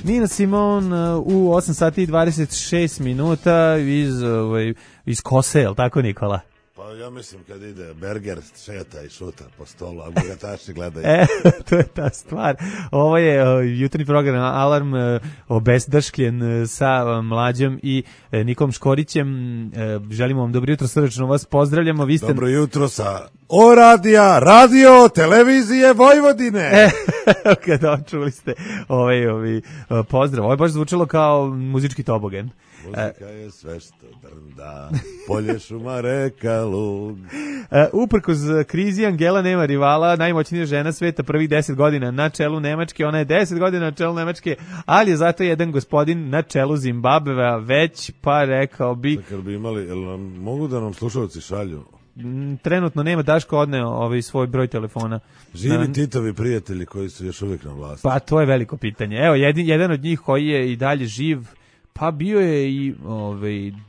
Nina Simon u 8 sati i 26 minuta iz Kose, je li tako, Nikola? Pa ja mislim kad ide Berger šeta i šuta po stolu, a bogataši gledaju. To je ta stvar. Ovo je jutarnji program Alarm obezdaškljen sa Mlađom i Nikom Škorićem. Želimo vam dobro jutro, srdačno vas pozdravljamo. Vi ste... Dobro jutro sa O-radija, radio, televizije Vojvodine. Kada čuli ste pozdrav. Ovo je baš zvučalo kao muzički tobogan. Muzika je sve što drnda, polje, šuma, reka, lug. Uprkos krizi Angela nema rivala, najmoćnija žena sveta prvih 10 godina na čelu Nemačke, ona je 10 godina na čelu Nemačke, ali je zato jedan gospodin na čelu Zimbabvea već, pa rekao bi... Kad bi imali, mogu da nam slušalci šalju? Trenutno nema, Daško odneo svoj broj telefona. Živi Titovi prijatelji koji su još uvijek na vlasti. Pa to je veliko pitanje. Evo, jedan od njih koji je i dalje živ, pa bio je i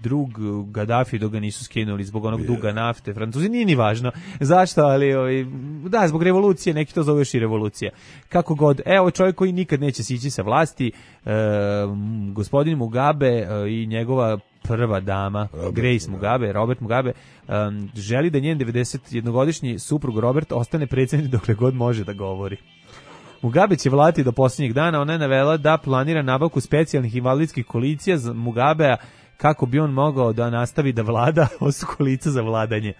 drug Gaddafi dok ga nisu skinuli zbog onog duga nafte. Francuzi, nije ni važno zašto, ali da, zbog revolucije, neki to zove još i revolucija. Kako god, evo čovjek koji nikad neće sići sa vlasti, gospodin Mugabe i njegova prva dama, Robert Mugabe, želi da njen 91-godišnji suprug Robert ostane predsjednik dokle god može da govori. Mugabe će vladati do posljednjeg dana. Ona je navela da planira nabavku specijalnih invalidskih kolicija za Mugabea kako bi on mogao da nastavi da vlada. Ovo su kolica za vladanje.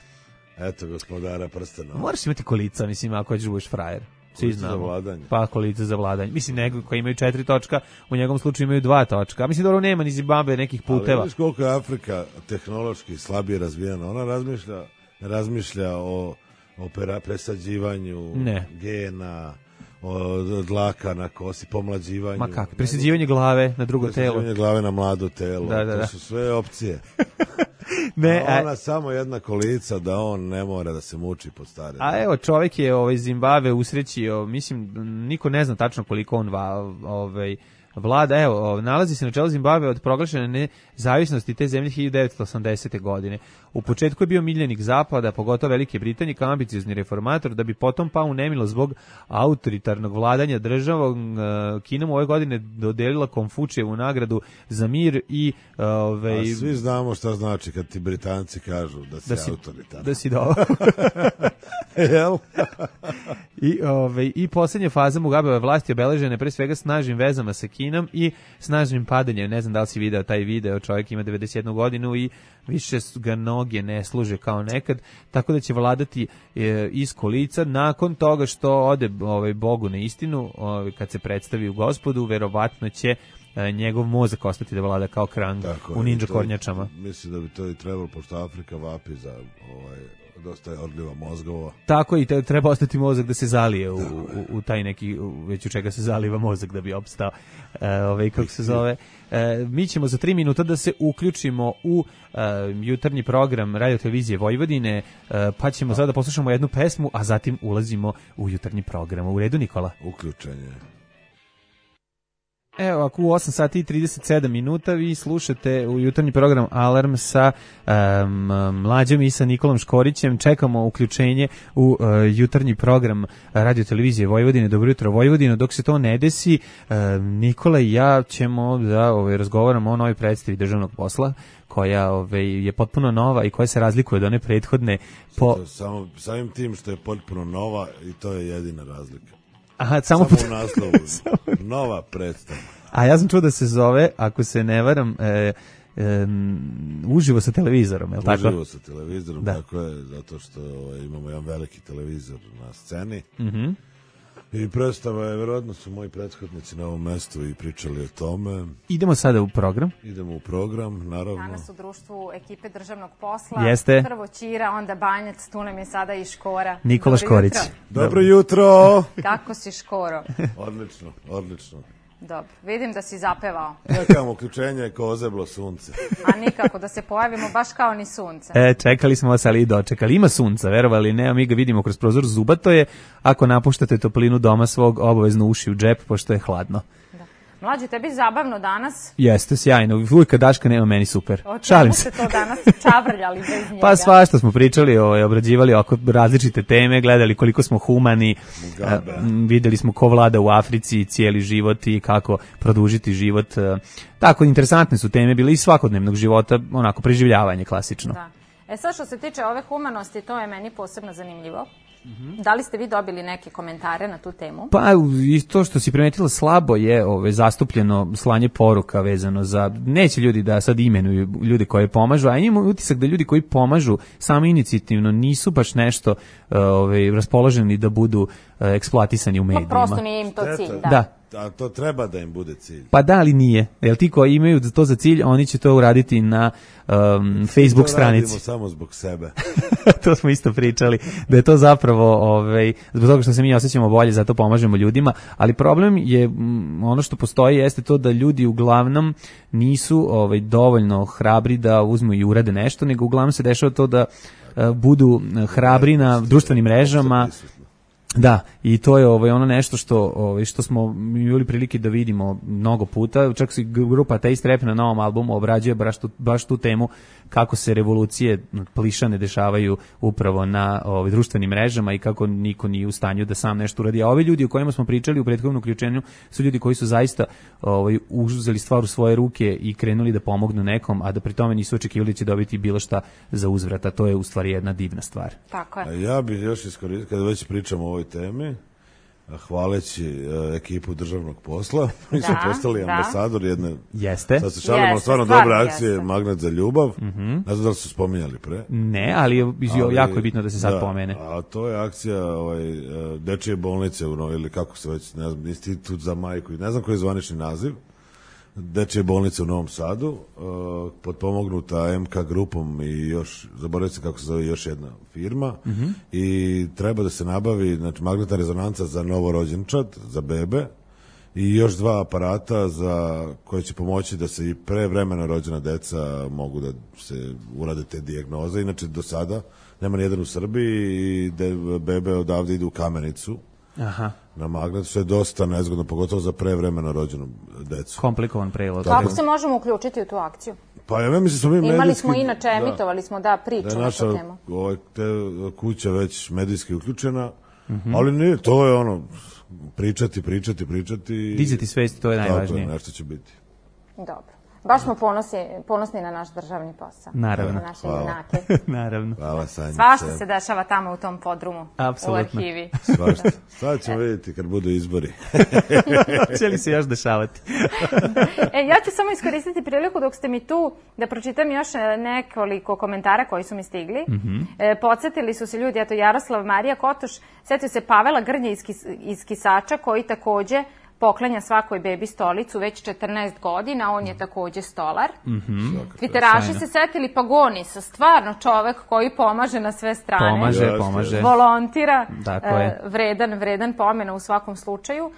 Eto, gospodara prstena. Moraš imati kolica, mislim, ako hoćeš budeš frajer. Kolica za vladanje. Pa kolica za vladanje. Mislim, nego koji imaju 4 točka, u njegovom slučaju imaju 2 točka. Mislim, dobro, nema ni Zimbabwe nekih puteva. Ali vidiš koliko je Afrika tehnološki slabije razvijena. Ona razmišlja o presađivanju gena, od dlaka na kosi, pomlađivanju. Ma kako, presađivanje glave na drugo telo. Presađivanje glave na mlado telo. To su sve opcije. Ona samo jedna kolica da on ne mora da se muči pod stare. A evo, čovjek je Zimbabwe usrećio, mislim, niko ne zna tačno koliko on vlada, evo, nalazi se na čelu Zimbabve od proglašene nezavisnosti te zemlje 1980. godine. U početku je bio miljenik Zapada, pogotovo Velike Britanije, kao ambiciozni reformator, da bi potom pao u nemilo zbog autoritarnog vladanja državom. Kina mu ove godine dodelila Konfučijevu nagradu za mir i... A svi znamo šta znači kad ti Britanci kažu da si autoritarno. Da si dobro. Jel? I posljednja faza Mugabeve vlasti obeležena pre svega snažnim vezama sa Kinom i snažnim padanjem. Ne znam da li si video taj video, čovjek ima 91 godinu i više ga noge ne služe kao nekad, tako da će vladati iz kolica. Nakon toga što ode Bogu na istinu, kad se predstavi u Gospodu, verovatno će njegov mozak ostati da vlada kao Krang u ninja kornjačama. Mislim da bi to i trebalo, pošto Afrika vapi za dosta je odljiva mozgova. Tako i treba ostati mozak da se zalije u taj neki, već u čega se zaliva mozak da bi opstao. Kako se zove. Mi ćemo za 3 minuta da se uključimo u jutarnji program Radio Televizije Vojvodine, pa ćemo sada da poslušamo jednu pesmu, a zatim ulazimo u jutarnji program. U redu, Nikola? Uključenje. Evo, ako u 8 sati i 37 minuta vi slušate u jutarnji program Alarm sa Mlađom i sa Nikolom Škorićem. Čekamo uključenje u jutarnji program Radio Televizije Vojvodine. Dobro jutro, Vojvodino. Dok se to ne desi, Nikola i ja ćemo da razgovaramo o novoj predstavi državnog posla, koja je potpuno nova i koja se razlikuje od one prethodne. Samim tim što je potpuno nova i to je jedina razlika. Aha, samo u naslovu. Nova predstava. A ja sam čuo da se zove, ako se ne varam, uživo sa televizorom, je li tako? Uživo sa televizorom, tako je, zato što imamo jedan veliki televizor na sceni. I predstava je, verovatno su moji prethodnici na ovom mestu i pričali o tome. Idemo sada u program. Idemo u program, naravno. Danas u društvu ekipe državnog posla. Jeste. Prvo Ćira, onda Banjac, tu nam je sada i Škora. Nikola Škorić. Dobro jutro. Kako si, Škoro? Odlično. Dobro, vidim da si zapevao. Čekamo uključenje ko ozeblo sunce. A nikako da se pojavimo baš kao ni sunce. Čekali smo vas, ali i dočekali. Ima sunca, verovali ne, a mi ga vidimo kroz prozor. Zubato je, ako napuštate toplinu doma svog, obavezno uši u džep, pošto je hladno. Mlađi, tebi zabavno danas? Jeste, sjajno. Uvijek kad Daška nema, meni super. Šalim se. O čemu ste to danas čavrljali bez njega? Pa svašta smo pričali, obrađivali oko različite teme, gledali koliko smo humani, videli smo ko vlada u Africi cijeli život i kako produžiti život. Tako, interesantne su teme bile iz svakodnevnog života, onako, preživljavanje klasično. Da. Sad što se tiče ove humanosti, to je meni posebno zanimljivo. Da li ste vi dobili neke komentare na tu temu? Pa i to što si primetila, slabo je zastupljeno slanje poruka vezano za, neće ljudi da sad imenuju ljude koji pomažu, a imam utisak da ljudi koji pomažu samo inicijativno nisu baš nešto raspoloženi da budu eksploatisani u medijima. Pa prosto nije im to cilj, da. A to treba da im bude cilj. Pa da, ali nije. Jer ti koji imaju to za cilj, oni će to uraditi na Facebook stranici. To radimo samo zbog sebe. To smo isto pričali, da je to zapravo zbog toga što se mi osjećamo bolje, zato pomažemo ljudima, ali problem je, ono što postoji jeste to da ljudi uglavnom nisu dovoljno hrabri da uzmu i urade nešto, nego uglavnom se dešava to da budu hrabri na društvenim mrežama. Da, i to je ono nešto što smo imali prilike da vidimo mnogo puta. Čak se grupa Taste Rap na novom albumu obrađuje baš tu temu kako se revolucije plišane dešavaju upravo na društvenim mrežama i kako niko nije u stanju da sam nešto uradi. A ovi ljudi o kojima smo pričali u prethodnom uključenju su ljudi koji su zaista uzeli stvar u svoje ruke i krenuli da pomognu nekom, a da pri tome nisu očekivali da će dobiti bilo šta za uzvrat, a to je u stvari jedna divna stvar. Tako je. A ja bih još iskoristio, kada već pričamo o ovoj temi, hvaleći ekipu državnog posla, mi smo postali ambasador jedne, sad se šalimo, stvarno dobra akcije Magnet za ljubav, ne znam da li su spominjali pre. Ne, ali jako je bitno da se sad pomene. A to je akcija dečije bolnice, ili kako se već, ne znam, Institut za majku, ne znam koji je zvanični naziv, dečije bolnice u Novom Sadu, potpomognuta MK grupom i još, zaboravio se kako se zove, još jedna firma, i treba da se nabavi, znači, magnetna rezonanca za novorođenčad, za bebe, i još 2 aparata koje će pomoći da se i pre vremena rođena deca mogu da se urade te dijagnoze. Inače, do sada nema nijedan u Srbiji i bebe odavde idu u Kamenicu. Aha. Na magnet, što je dosta nezgodno, pogotovo za prevremeno rođenu decu. Komplikovan prelaz. Kako se možemo uključiti u tu akciju? Pa ja mislim smo mi medijski... Imali smo inače, emitovali smo priču na tu temu. Da je naša kuća već medijski uključena, ali nije, to je pričati. Dizati svesti, to je najvažnije. Tako je, nešto će biti. Dobro. Baš smo ponosni na naš državni posao. Naravno. Na naše junake. Naravno. Hvala, Sanjice. Svašta se dešava tamo u tom podrumu. Apsolutno. U arhivi. Svašta. Sad ćemo vidjeti kad budu izbori. Će li se još dešavati? Ja ću samo iskoristiti priliku dok ste mi tu da pročitam još nekoliko komentara koji su mi stigli. Podsjetili su se ljudi, eto Jaroslav Marija Kotoš, setio se Pavela Grnje iz Kisača koji takođe poklanja svakoj bebi stolicu već 14 godina, on je takođe stolar. Twitteraši se setili Pagonisa, stvarno čovek koji pomaže na sve strane. Pomaže. Volontira, vredan pomena u svakom slučaju.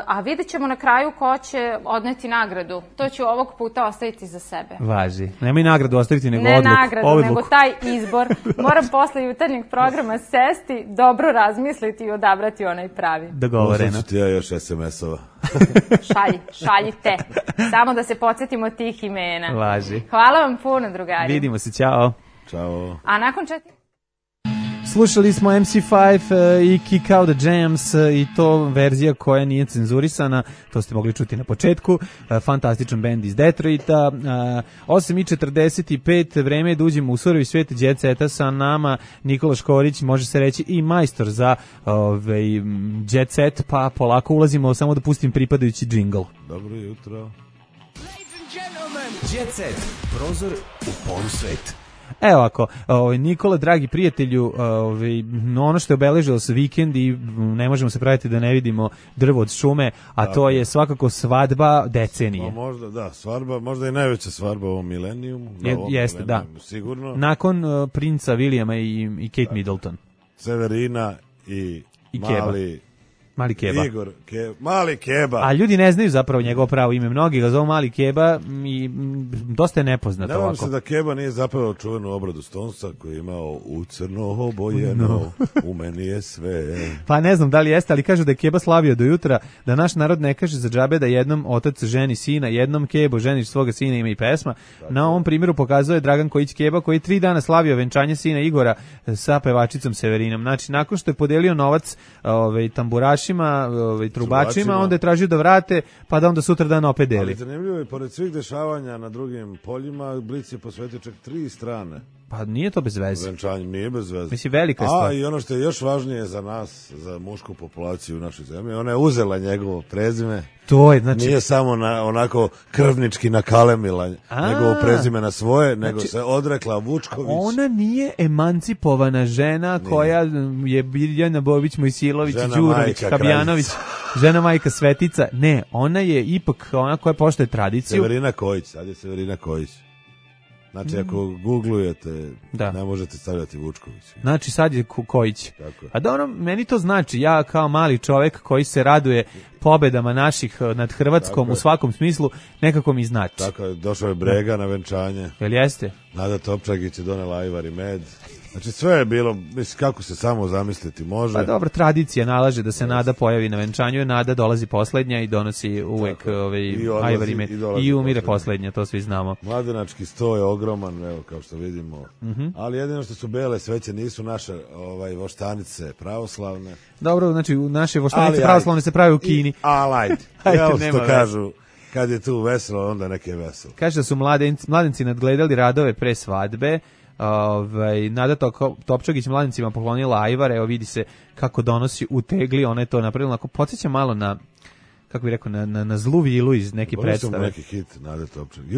A vidjet ćemo na kraju ko će odneti nagradu. To ću ovog puta ostaviti za sebe. Važi. Nemoj nagradu ostaviti, nego odluku. Ne nagradu, nego taj izbor. Moram posle jutarnjeg programa sesti, dobro razmisliti i odabrati onaj pravi. Dogovoreno. Posle ću ti ja još SMS-ova. Šaljite. Samo da se podsjetimo tih imena. Važi. Hvala vam puno, drugari. Vidimo se, ćao. Ćao. A nakon Slušali smo MC5 i Kick Out the Jams i to verzija koja nije cenzurisana, to ste mogli čuti na početku, fantastičan bend iz Detroita. 8:45, vreme je da uđemo u surovi svijet Jet Seta, sa nama Nikola Škorić, može se reći i majstor za Jet Set, pa polako ulazimo, samo da pustim pripadajući džingl. Dobro jutro. Jet Set, prozor u polsvet. Evo ako, Nikola, dragi prijatelju, ono što je obeležilo se vikend i ne možemo se praviti da ne vidimo drvo od šume, a to je svakako svadba decenije. Možda, da, svadba, možda i najveća svadba u ovom milenijumu. Jeste, da. Sigurno. Nakon princa Williama i Kate Middleton. Severina i Mali Keba. Igor, Mali Keba. A ljudi ne znaju zapravo njegovo pravo ime. Mnogi ga zovu Mali Keba i dosta je nepoznat ovako. Ne vam se da Keba nije zapevao čuvenu obradu Stonesa koji je imao u crno obojeno, u meni je sve. Pa ne znam da li jeste, ali kažu da je Keba slavio do jutra, da naš narod ne kaže za džabe da jednom otac ženi sina, jednom Kebo ženiš svoga sina, ima i pesma. Na ovom primjeru pokazuje Dragan Kojić Keba koji 3 dana slavio venčanje sina Igora sa pevačicom Severinom. Znači, nakon što je podelio novac tamburašima, trubačima, onda je tražio da vrate, pa da onda sutra dan opet deli. Ali zanimljivo je, pored svih dešavanja na drugim poljima, Blic je posvetio čak 3 strane. Pa nije to bez veze. Venčanjem nije bez veze. Mislim, velika je stvar. I ono što je još važnije za nas, za mušku populaciju u našoj zemlji, ona je uzela njegovo prezime. To je, znači... Nije samo onako krvnički nakalemila njegovo prezime na svoje, nego se odrekla Vučković. Ona nije emancipovana žena koja je Biljana Bobić, Mojsilović, Đurović, Habjanović, žena majka Svetica. Ne, ona je ipak ona koja poštuje tradiciju. Severina Kojić, sad je Severina Kojić. Znači, ako googlujete, ne možete stavljati Vučković. Znači, sad je Kojić. A dobro, meni to znači, ja kao mali čovek koji se raduje pobedama naših nad Hrvatskom u svakom smislu, nekako mi znači. Tako je, došao je Brega na venčanje. Jel jeste? Nada Topčagić je donela ajvar i med. Znači, sve je bilo, mislim, kako se samo zamisliti može. Pa dobro, tradicija nalaže da se Nada pojavi na venčanju, Nada dolazi poslednja i donosi uvek ajvar i med. I umire poslednja, to svi znamo. Mladenački sto je ogroman, evo, kao što vidimo. Ali jedino što su bele sveće nisu naše voštanice pravoslavne. Dobro, znači, naše voštanice pravoslavne se pravi u Kini. Ajde, evo što kažu. Kad je tu veselo, onda neke veselo. Kaže da su mladenci nadgledali radove pre svadbe. Nada Topčagić mladencima poklonila ajvar, evo vidi se kako donosi u tegli, ona je to napravila, ako podsjeća malo na, kako bih rekao, na zlu vilu iz neke predstave. Neki hit Nada Topčagić.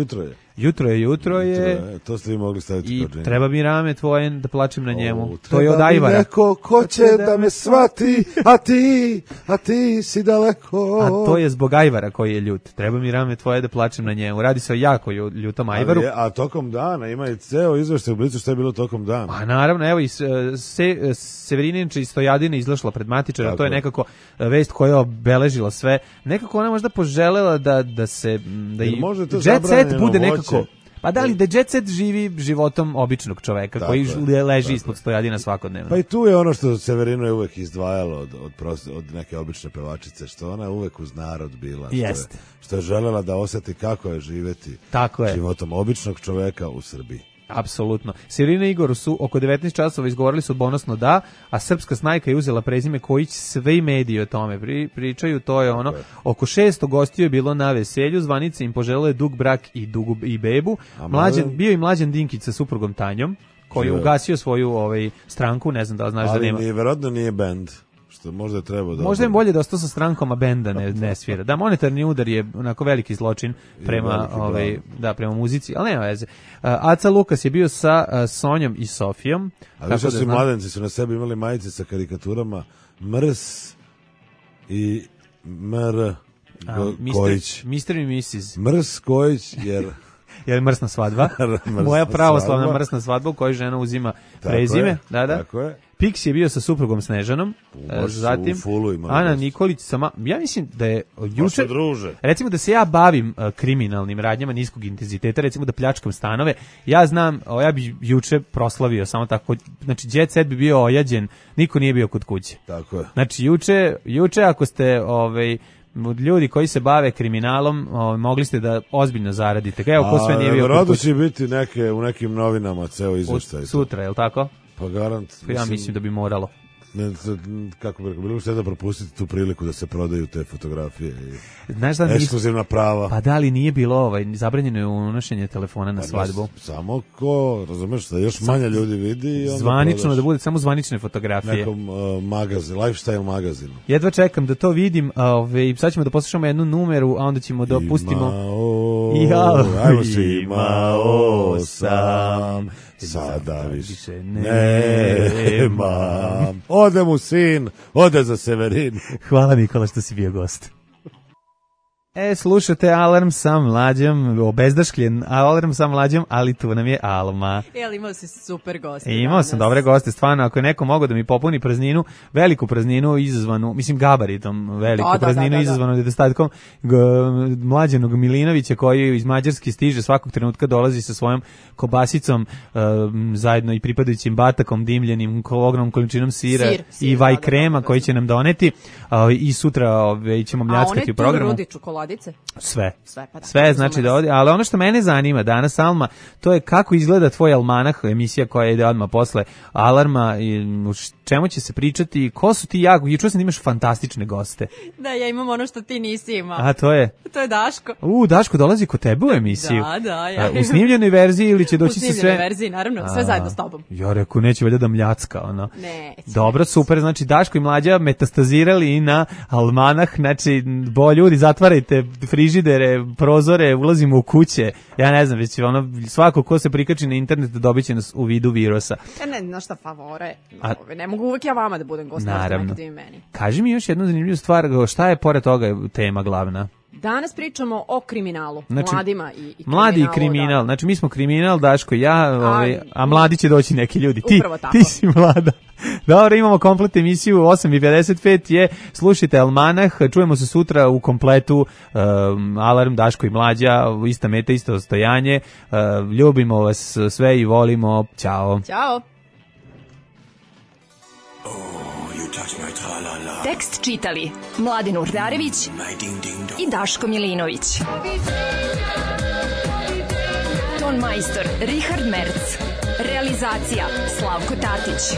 Jutro je. To ste vi mogli staviti kao džingl. I treba mi rame tvoje da plačem na njemu. To je od ajvara. Treba mi neko ko će da me shvati, a ti si daleko. A to je zbog ajvara koji je ljut. Treba mi rame tvoje da plačem na njemu. Radi se o jako ljutom ajvaru. A tokom dana ima i ceo izveštaj u Blicu što je bilo tokom dana. A naravno, evo i Severininča i Stojadina izlašla pred matičara. To je nekako vest koja je obeležila sve. Nekako ona možda poželela da se Jet Set bude nekako. Pa da li da Jet Set živi životom običnog čoveka koji leži ispod Stojadina svakodnevno. Pa i tu je ono što Severino je uvek izdvajalo od neke obične pevačice, što ona uvek uz narod bila. Što je želela da osjeti kako je živeti životom običnog čoveka u Srbiji. Apsolutno. Sirina i Igor su oko 19 časova izgovorili sudbonosno da, a srpska snajka je uzela prezime Kojić, sve mediji o tome pričaju, to je ono, oko 600 gostiju je bilo na veselju, zvanice im poželele dug brak i bebu, bio i Mlađan Dinkić sa suprugom Tanjom, koji je ugasio svoju stranku, ne znam da li znaš da nema. Ali verovatno nije bend. Možda je trebao da... Možda je bolje da ostao sa strankom, a benda ne svira. Da, monetarni udar je onako veliki zločin prema prema muzici, ali nema veze. Aca Lukas je bio sa Sonjom i Sofijom. A više su mladenci su na sebi imali majice sa karikaturama Mrs. i Mr. Kojić. Mr. i Mrs. Mrs. Kojić, jer mrsna svadba. Moja pravoslavna mrsna svadba u kojoj žena uzima prezime. Tako je. Pix je bio sa suprugom Snežanom, zatim Ana Nikolić ja mislim da je juče, recimo da se ja bavim kriminalnim radnjama niskog intenziteta, recimo da pljačkam stanove, ja znam, ja bi juče proslavio samo tako, znači jet set bi bio ojađen, niko nije bio kod kuće. Tako je. Znači juče ako ste ljudi koji se bave kriminalom, mogli ste da ozbiljno zaradite. Evo ko sve nije bio kod kuće. Će biti u nekim novinama ceo izveštaj. Sutra, je li tako? Pa garant. Ja mislim da bi moralo. Kako bi rekao, bilo što da propustiti tu priliku da se prodaju te fotografije i ekskluzivna prava. Pa da li nije bilo zabranjeno je unošenje telefona na svadbu? Samo ko, razumeš, da još manje ljudi vidi. Zvanično, da bude samo zvanične fotografije. Nekom lifestyle magazinu. Jedva čekam da to vidim, sad ćemo da poslušamo jednu numeru, a onda ćemo da pustimo... Imao sam, sada više nemam. Ode mu sin, ode za Severin. Hvala Nikola što si bio gost. Slušate Alarm sa Mlađom, obezdaškljen Alarm sa Mlađom, ali tu nam je Alma. Ali imao si super goste. Imao sam dobre goste, stvarno, ako je neko mogao da mi popuni prazninu, veliku prazninu izazvanu, mislim gabaritom, veliku prazninu izazvanu nedostatkom Mlađanog Milinovića, koji iz Mađarske stiže svakog trenutka, dolazi sa svojom kobasicom, zajedno i pripadajućim batakom, dimljenim, ogromnom količinom sira i vaj krema koji će nam doneti, i sutra ćemo mljackati u programu. A one tu rudi čokoladice? Sve znači da odi, ali ono što mene zanima danas, Alma, to je kako izgleda tvoj almanah, emisija koja ide odmah posle Alarma, i čemu će se pričati, ko su ti juče sam imaš fantastične goste. Da, ja imam ono što ti nisi imao. A to je? To je Daško. Daško dolazi kod tebe u emisiju. Da, ja. U snimljenoj verziji ili će doći sa sve? U snimljenoj verziji, naravno, sve zajedno s tobom. Ja rekao, neće valjda da mljacka, ono. Ne. Dobro, super, znači Daško i Mlađa metastazirali na almanah, znači, ljudi, zatvarajte frižidere, prozore, ulazimo u kuće, ja ne znam, već svako ko se prikači na internet dobit će nas u vidu virusa. Ne, šta favore, ne mogu uvijek ja vama da budem gost, naravno. Meni. Kaži mi još jednu zanimljivu stvar, šta je pored toga tema glavna? Danas pričamo o kriminalu, mladima i kriminalu. Mladi i kriminal, znači mi smo kriminal, Daško i ja, a mladi će doći neki ljudi. Ti si mlada. Dobro, imamo komplet emisiju, 8:55 je, slušajte Almanah, čujemo se sutra u kompletu, Alarm, Daško i Mlađa, ista meta, isto ostojanje, ljubimo vas sve i volimo, ćao. Ćao. Tekst čitali Mladin Urdarević i Daško Milinović. Ton majstor Richard Merc. Realizacija Slavko Tatić.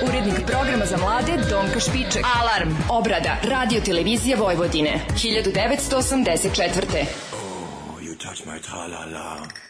Urednik programa za mlade Donka Špiček. Alarm. Obrada Radio Televizija Vojvodine 1984. You touch my tra-la-la.